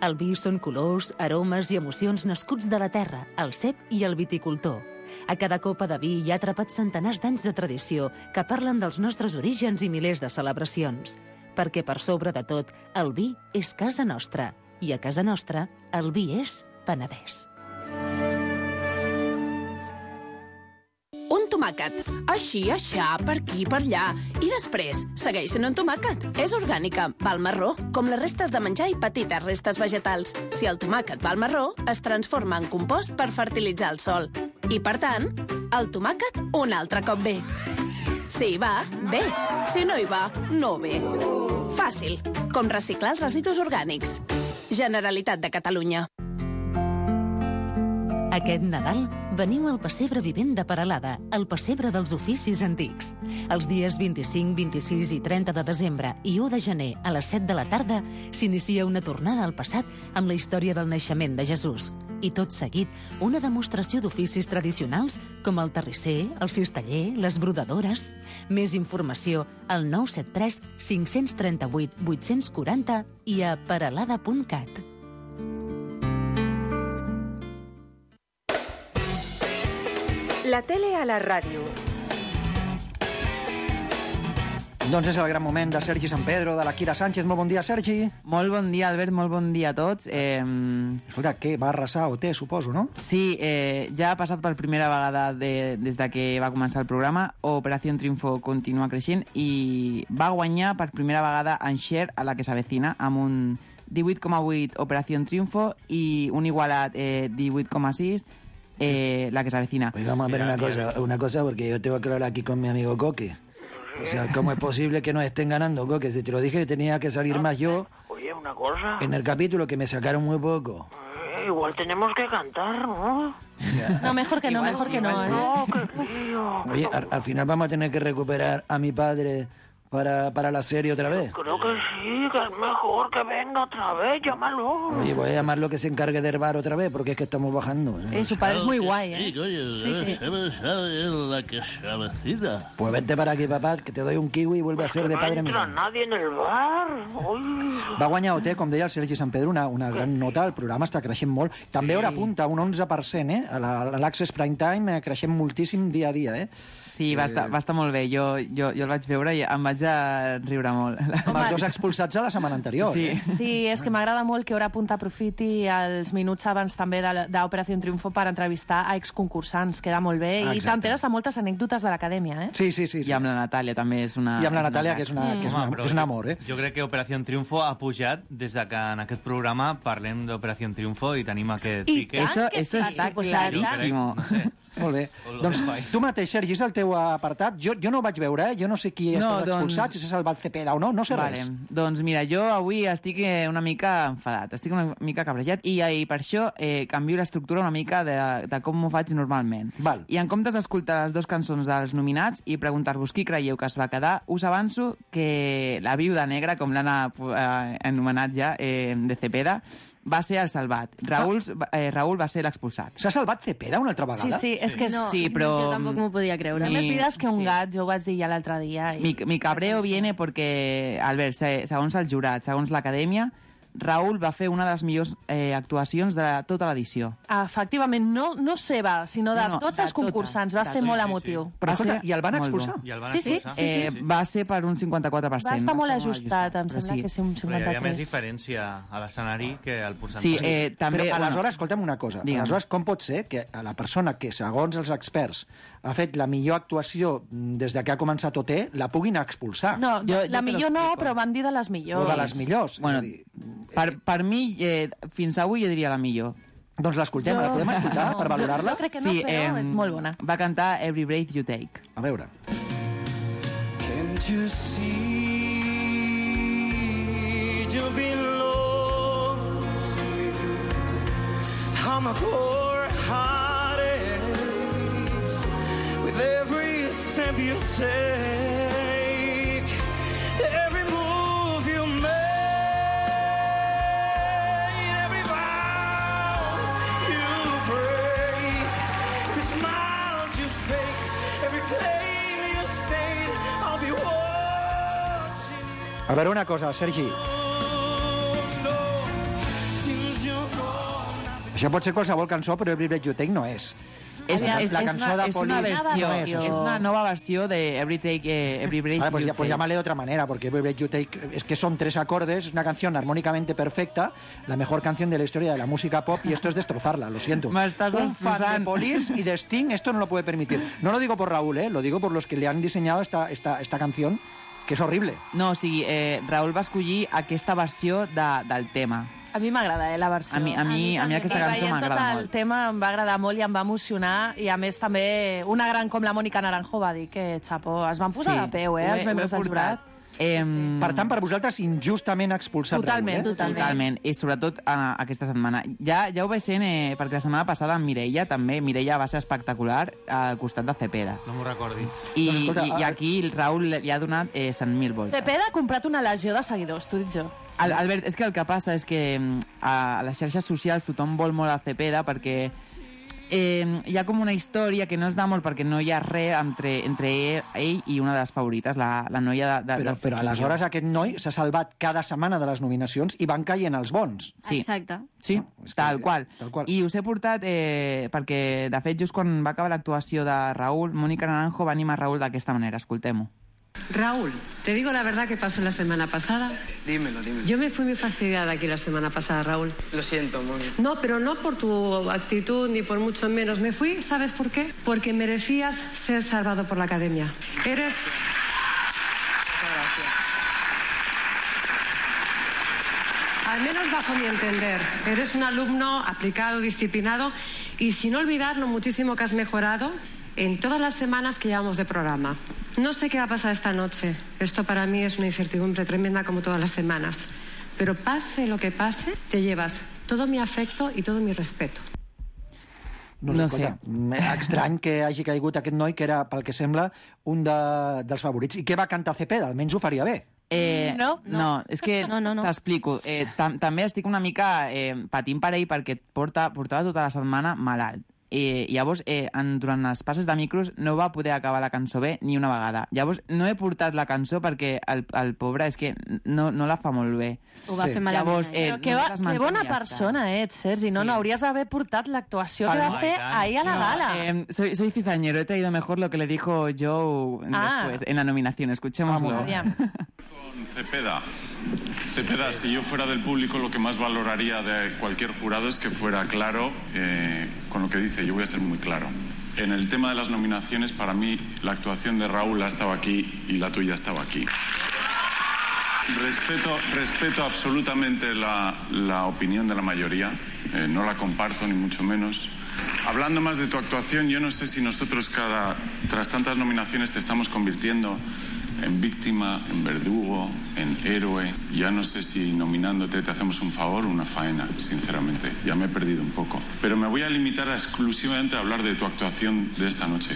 El vi són colors, aromes i emocions nascuts de la terra, el cep i el viticultor. A cada copa de vi hi ha atrapats centenars d'anys de tradició que parlen dels nostres orígens i milers de celebracions. Perquè per sobre de tot, el vi és casa nostra. I a casa nostra, el vi és Penedès. Un tomàquet. Així, aixà, per aquí, per allà. I després, segueix sent un tomàquet. És orgànica, va al marró, com les restes de menjar i petites restes vegetals. Si el tomàquet va al marró, es transforma en compost per fertilitzar el sòl. I, per tant, el tomàquet un altre cop ve. Si hi va, bé. Si no hi va, no ve. Fàcil, com reciclar els residus orgànics. Generalitat de Catalunya. Aquest Nadal veniu al Pessebre Vivent de Peralada, el pessebre dels oficis antics. Els dies vint-i-cinc, vint-i-sis i trenta de desembre i u de gener a les set de la tarda s'inicia una tornada al passat amb la història del naixement de Jesús. I tot seguit, una demostració d'oficis tradicionals com el terrisser, el cisteller, les brodadores. Més informació al nou set tres cinc tres vuit vuit quatre zero i a peralada punt cat. La tele a la ràdio. Doncs és el gran moment de Sergi San Pedro, de la Kira Sánchez. Molt bon dia, Sergi. Molt bon dia, Albert, molt bon dia a tots. Eh... Escolta, què? Va arrasar O T, suposo, no? Sí, eh, ja ha passat per primera vegada de, des de que va començar el programa. Operació Triunfo continua creixent i va guanyar per primera vegada en share a la que s'avecina, amb un divuit coma vuit Operació Triunfo i un igualat eh, divuit coma sis eh, la que s'avecina. Pues vamos a ver una cosa, una cosa, porque yo tengo que hablar aquí con mi amigo Coque. O sea, ¿cómo es posible que nos estén ganando, Coque? Si te lo dije que tenía que salir más yo. Oye, una cosa. En el capítulo que me sacaron muy poco. Eh, igual tenemos que cantar, ¿no? No, mejor que no, Igual mejor sí, que no. igual ¿eh? sí. No, qué lío. Oye, al, al final vamos a tener que recuperar a mi padre para, para la serie otra vez. Creo que sí, que es mejor que venga otra vez, llámalo. Oye, voy a llamarlo que se encargue de herbar otra vez, porque es que estamos bajando. ¿eh? Eh, su padre es muy guay, ¿eh? Sí, oye, Sí, sí. ¿sabes? ¿sabes la que se avecina? Pues vente para aquí, papá, que te doy un kiwi y vuelve a ser de No padre mío. entra nadie en el bar. Uy. Va guanyar O T, com deia el Sergi Sant Pedro, una, una gran nota. El programa està creixent molt. També Sí. hora punta, un onze per cent, eh? A la- a l'Access Prime Time eh, creixent moltíssim dia a dia, eh? Sí, va estar, va estar molt bé. Jo, jo, jo el vaig veure i em vaig a riure molt. Amb els dos expulsats a la setmana anterior. Sí. Eh? Sí, és que m'agrada molt que Hora Punta aprofiti els minuts abans també de- d'Operació Triunfo per entrevistar a exconcursants. Queda molt bé. I Exacte. t'enteres de moltes anècdotes de l'acadèmia, eh? Sí, sí, sí. I amb la Natàlia també és una... I amb la és una Natàlia, crac. que és, una, que és, una, Home, però és un jo- amor, eh? Jo crec que Operació Triunfo ha pujat des de que en aquest programa parlem d'Operació Triunfo i tenim aquest I pique. tant Eso, que eso sí, está pues clarísimo. No sé. Molt bé. Lo Doncs dejo ahí. tu mateix, Sergi, és el teu apartat. Jo, jo no ho vaig veure, eh? Jo no sé qui és No, no, doncs- expulsat, si s'ha salvat Cepeda o no, no sé Vale. res. Doncs mira, jo avui estic eh, una mica enfadat, estic una mica cabrejat i, i per això eh, canvio l'estructura una mica de, de com m'ho faig normalment. Val. I en comptes d'escoltar les dues cançons dels nominats i preguntar-vos qui creieu que es va quedar, us avanço que la viuda negra, com l'han eh, anomenat ja, eh, de Cepeda, va ser el salvat. Raül, eh, Raül va ser l'expulsat. S'ha salvat Cepeda una altra Sí, vegada? sí, és que no. Sí, però... Jo tampoc m'ho podia creure. Té més Mi- vides que un sí. gat, jo ho vaig dir ja l'altre dia. I... Mi, mi cabreo viene porque, Albert, se- segons el jurat, segons l'acadèmia, Raül va fer una de les millors eh, actuacions de tota l'edició. Efectivament, no, no seva, sinó de No, no, tots de els concursants. Va tota. ser Sí, molt sí, sí. emotiu. Però Va escolta, ser i el van molt expulsar? bo. I el van Sí, sí, expulsar. sí, sí. Eh, va ser per un cinquanta-quatre per cent. Va estar molt ser ajustat, em però sembla que sí, un Però hi havia cinquanta-tres. més diferència a l'escenari que al percentatge. Sí, eh, també... Però bueno, aleshores, escolta'm una cosa. Digue'm. Aleshores, com pot ser que a la persona que, segons els experts, ha fet la millor actuació des de que ha començat O T, la puguin expulsar? No, Jo- la jo te millor no, l'explico. però van dir de les millors. O de les millors. Bueno, És a dir, per, per mi, eh, fins avui jo diria la millor. doncs l'escoltem, la podem escoltar per valorar-la? Jo crec que no, però em, és molt bona. Va cantar Every Breath You Take. A veure. Can't you see you've been lost? How my poor heart aches with every step you take, every move you make, every vow you break, every smile you fake, every claim you stayed. I'll be watching you. A veure una cosa, Sergi. Since you're gone, Això pot ser qualsevol cançó, però Every Breath You Take no és. És, La- és, la és, cançó una, de és una Police versió, no és, és, això. una nova versió de Every, take, eh, every Breath Vale, pues, You ya, pues Take. llámale de otra manera, porque Every Breath You Take es que son tres acordes, una canción armónicamente perfecta, la mejor canción de la historia de la música pop, y esto es destrozarla, lo siento. Me estás Un fan de destrozando. Police y de Sting esto no lo puede permitir. No lo digo por Raúl, ¿eh? Lo digo por los que le han diseñado esta, esta, esta canción, que es horrible. No, o sigui, eh, Raül va escollir aquesta versió de, del tema. A mi m'agrada, eh, la versió. A mi, a mi, a mi aquesta I cançó veient tot m'agrada el molt. tema em va agradar molt i em va emocionar, i a més també una gran com la Mònica Naranjo va dir que, xapó, es van posar Sí, de peu, eh, ho he- els membres ho he del portat. jurat. Eh, Per tant, per vosaltres, injustament expulsat Totalment, Raúl, eh? totalment. Totalment, i sobretot eh, aquesta setmana. Ja, ja ho vaig sent, eh, perquè la setmana passada amb Mireia també, Mireia va ser espectacular al costat de Cepeda. No m'ho recordis. I, Doncs escolta, i, i ah, aquí el Raül li ha donat eh, cent mil voltes. Cepeda ha comprat una legió de seguidors, t'ho dic jo. Al, Albert, és que el que passa és que mm, a les xarxes socials tothom vol molt a Cepeda perquè eh, hi ha com una història que no es da molt perquè no hi ha res entre, entre ell, ell i una de les favorites, la, la noia de, de, Però, del però aleshores aquest noi s'ha salvat cada setmana de les nominacions i van caient els bons. Sí. Exacte. Sí, és que- tal qual. tal qual. I us he portat eh, perquè, de fet, just quan va acabar l'actuació de Raúl, Mónica Naranjo va animar Raúl d'aquesta manera. Escoltem-ho. Raúl, te digo la verdad que pasó la semana pasada. Dímelo, dímelo. Yo me fui muy fastidiada aquí la semana pasada, Raúl. Lo siento, Moni. No, pero no por tu actitud ni por mucho menos. Me fui, ¿sabes por qué? Porque merecías ser salvado por la academia. Eres... Al menos bajo mi entender, eres un alumno aplicado, disciplinado y sin olvidar lo muchísimo que has mejorado en todas las semanas que llevamos de programa. No sé qué va a pasar esta noche. Esto para mí es una incertidumbre tremenda como todas las semanas. Pero pase lo que pase, te llevas todo mi afecto y todo mi respeto. No, No escolta, m- estrany que hagi caigut aquest noi, que era, pel que sembla, un de, dels favorits. I què va cantar Cepeda? Almenys ho faria bé. Eh, no, no, no, és que No, no, no. t'explico. Eh, tam també estic una mica eh, patint per ell perquè porta, portava tota la setmana malalt. Eh, llavors, eh, en, durant els passes de micros no va poder acabar la cançó bé ni una vegada. Llavors, no he portat la cançó perquè el, el pobre és que no, no la fa molt bé. Ho va Sí. fer malament. Llavors, eh? eh, Però que, va, que bona persona ets, Sergi. No, Sí. no, hauries d'haver portat l'actuació que Palma, va fer i tant. ahir a la gala. Eh, soy, soy cizañero, he traído mejor lo que le dijo Joe Ah. después, en la nominación. Escuchémoslo. Aviam. Cepeda. Cepeda, si yo fuera del público, lo que más valoraría de cualquier jurado es que fuera claro eh, con lo que dice. Yo voy a ser muy claro. En el tema de las nominaciones, para mí, la actuación de Raúl ha estado aquí y la tuya estaba aquí. Respeto, respeto absolutamente la, la opinión de la mayoría. Eh, no la comparto, ni mucho menos. Hablando más de tu actuación, yo no sé si nosotros cada, tras tantas nominaciones te estamos convirtiendo en víctima, en verdugo, en héroe. Ya no sé si nominándote te hacemos un favor o una faena, sinceramente. Ya me he perdido un poco. Pero me voy a limitar a exclusivamente a hablar de tu actuación de esta noche.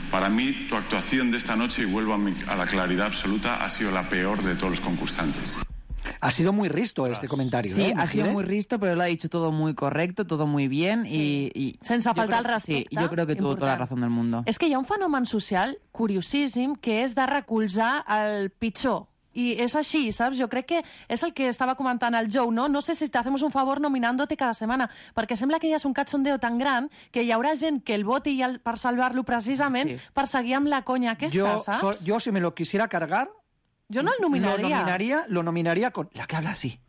Para mí, tu actuación de esta noche, y vuelvo a, mi, a la claridad absoluta, ha sido la peor de todos los concursantes. Ha sido muy risto este comentario. Sí, ¿eh, ha sido Mejide? muy risto, pero lo ha dicho todo muy correcto, todo muy bien y... y Sense yo faltar creo- al respecte. Sí, yo creo que tuvo toda la Important. razón del mundo. És que hi ha un fenomen social curiosíssim que és de recolzar el pitjor. Y es así, ¿sabes? Yo crec que és el que estava comentant el Joe, no? No sé si te hacemos un favor nominándote cada setmana, perquè sembla que ja és un cachondeo tan gran que hi haurà gent que el voti i el, per salvar-lo precisament Sí. per seguir amb la conya aquesta, Yo, saps? so- yo, si me lo quisiera cargar, Yo no el lo nominaría. nominaría, lo nominaría con la que habla así.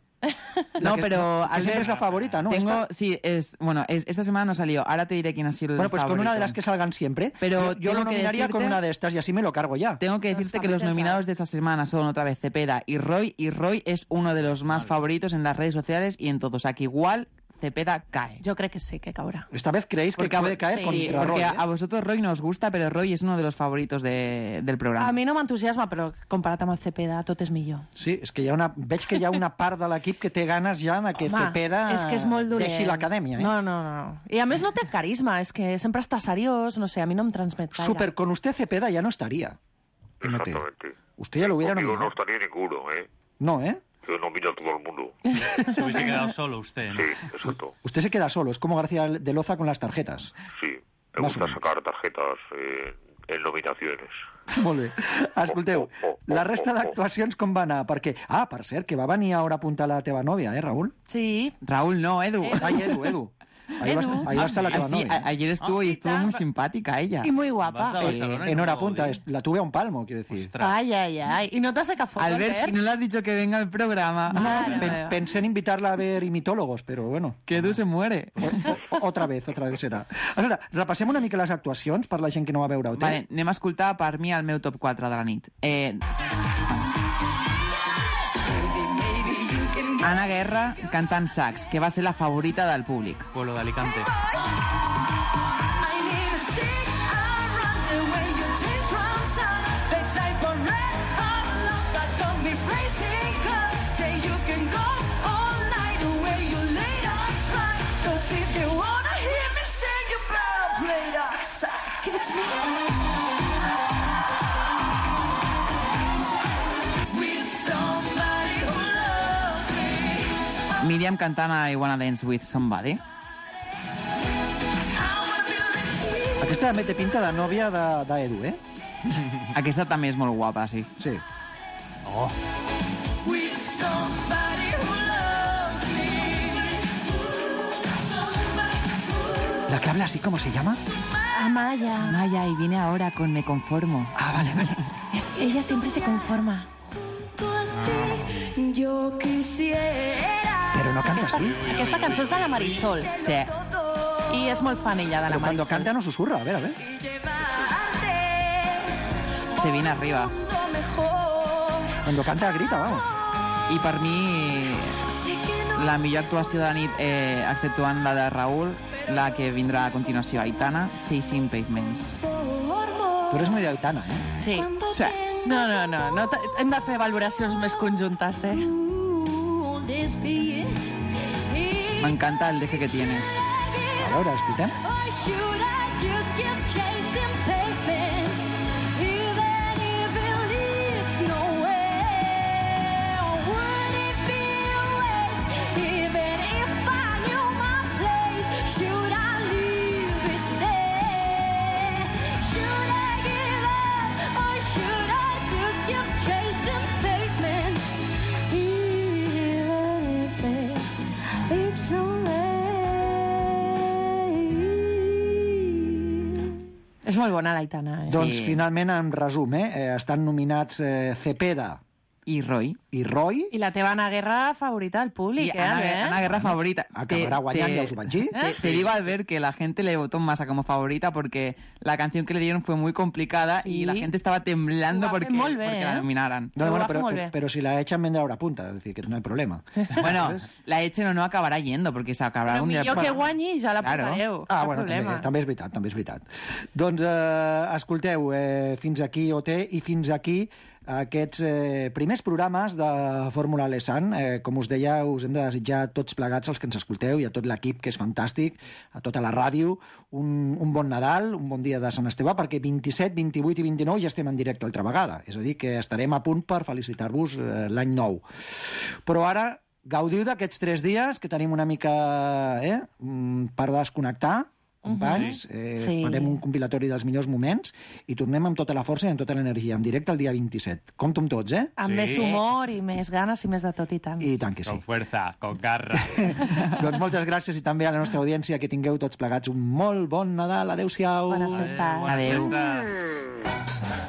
No, que- pero... que siempre es la favorita, ¿no? Tengo, Esta. sí, es, bueno, es- esta semana no salió. Ahora te diré quién ha sido el Bueno, pues con favorito. una de las que salgan siempre. Pero yo, yo lo tengo que nominaría con decirte- una de estas y así me lo cargo ya. Tengo que decirte que los nominados de esta semana son otra vez Cepeda y Roy, y Roy es uno de los más favoritos en las redes sociales y en todo. O sea, que igual Cepeda cae. Yo creo que sí, que caurà. Esta vez creéis que Porque a- puede caer sí, contra porque Roy, a, ¿eh? a vosotros Roy no os gusta, pero Roy es uno de los favoritos de- del programa. A mi no m'entusiasma, però comparat amb el Cepeda tot és millor. Sí, és que hi ha una, veig que hi ha una part de l'equip que té ganes ja de que Home, Cepeda és que és molt dolent. deixi l'acadèmia. Eh? No, no, no. I a més no té carisma, és que sempre està seriós, no sé, a mi no em transmet gaire. Super, con usted Cepeda ya no estaría. Fíjate. Exactamente. Usted ya lo hubiera Conmigo no nominado. estaría ninguno, ¿eh? No, ¿eh? Yo nomino a todo el mundo. Se hubiese quedado solo usted, ¿no? Sí, exacto. Usted se queda solo, es como García de Loza con las tarjetas. Sí, me Más gusta o menos. sacar tarjetas eh, en nominaciones. Molt bé. Escolteu, la resta d'actuacions com va anar? Perquè, ah, per cert, que va venir a hora a apuntar la teva nòvia, eh, Raúl? Sí. Raúl no, Edu. Ai, Edu, Edu. Ahí va, a estar- ahí va a estar la teva Ah, sí, novia. a- ayer estuvo y estuvo muy simpática ella. Y muy guapa. Sí, en hora punta, es- la tuve a un palmo, quiero decir. Ay, ay, ay. ¿Y no te has sacado fotos, Albert, Albert? y no le has dicho que venga al programa. No, pen- pensé en invitarla a ver imitólogos, però bueno. Que Edu se muere. O, o, otra vez, otra vez serà. Escolta, repassem una mica les actuacions per la gent que no va veure-ho. Vale, anem a escoltar per mi el meu top quatre de la nit. Eh... Ana Guerra cantant sax, que va ser la favorita del públic. Pueblo de Alicante. Míriam cantant I Wanna Dance With Somebody. Aquesta també té pinta de nòvia de- d'Edu, eh? Aquesta també és molt guapa, sí. Sí. Oh. La que habla así, ¿cómo se llama? Amaya. Maya, y viene ahora con Me Conformo. Ah, vale, vale. Es, ella siempre se conforma. Yo quisiera. Però no canta así. Aquesta cançó és de la Marisol. Sí. I és molt fan ella, de la Pero cuando Marisol. canta no susurra, a ver, a ver. Se viene arriba. Cuando canta grita, vamos. I per mi, la millor actuació de la nit, eh, exceptuant la de Raúl, la que vindrà a continuació, Aitana, Chasing Pavements. Tu eres muy de Aitana, eh? Sí. sí. No, no, no. no t- hem de fer valoracions més conjuntes, eh? M'encanta el deje que tiene. A veure, escoltem. Or should I just keep chasing pavements, even if it leads nowhere? Would it be a waste, even if I knew my place? Should I leave it there? Should I give up, or should I just keep chasing pavements, even if it leads nowhere? És molt bona l'Aitana, eh? Doncs finalment, en resum, eh, eh, estan nominats eh, Cepeda i Roy. I Roy. I la teva Ana Guerra favorita del públic, Sí, eh, Ana, Albert? Ana Guerra favorita. Acabará guanyant, ya os ho vaig dir. Te, te digo, Albert, que la gente le votó más a como favorita porque la canción que le dieron fue muy complicada Sí. y la gente estaba temblando Ho va fer porque, molt bé, porque eh? la nominaran. No, Ho bueno, va fer pero, molt bé. pero si la echan vendrá hora punta, es decir, que no hay problema. Bueno, la echen o no acabará yendo porque se acabará Però un día... millor que guanyi i ja la Claro. portareu. Ah, Cap bueno, problema. també, també és veritat, també és veritat. Doncs, eh, escolteu, eh, fins aquí O T i fins aquí aquests eh, primers programes de Fórmula Lesan. Eh, com us deia, us hem de desitjar a tots plegats els que ens escolteu i a tot l'equip, que és fantàstic, a tota la ràdio, un, un bon Nadal, un bon dia de Sant Esteve, perquè vint-i-set, vint-i-vuit i vint-i-nou ja estem en directe altra vegada. És a dir, que estarem a punt per felicitar-vos eh, l'any nou. Però ara gaudiu d'aquests tres dies, que tenim una mica eh, mm, per desconnectar, companys. Uh-huh. eh, Sí. Farem un compilatori dels millors moments i tornem amb tota la força i amb tota l'energia, en directe el dia vint-i-set. Compto amb tots, eh? Amb més humor i més ganes i més de tot i tant. I tant que sí. Con fuerza, con garra. Doncs moltes gràcies i també a la nostra audiència, que tingueu tots plegats un molt bon Nadal. Adéu-siau. Bones festes. Bones Adéu. festes.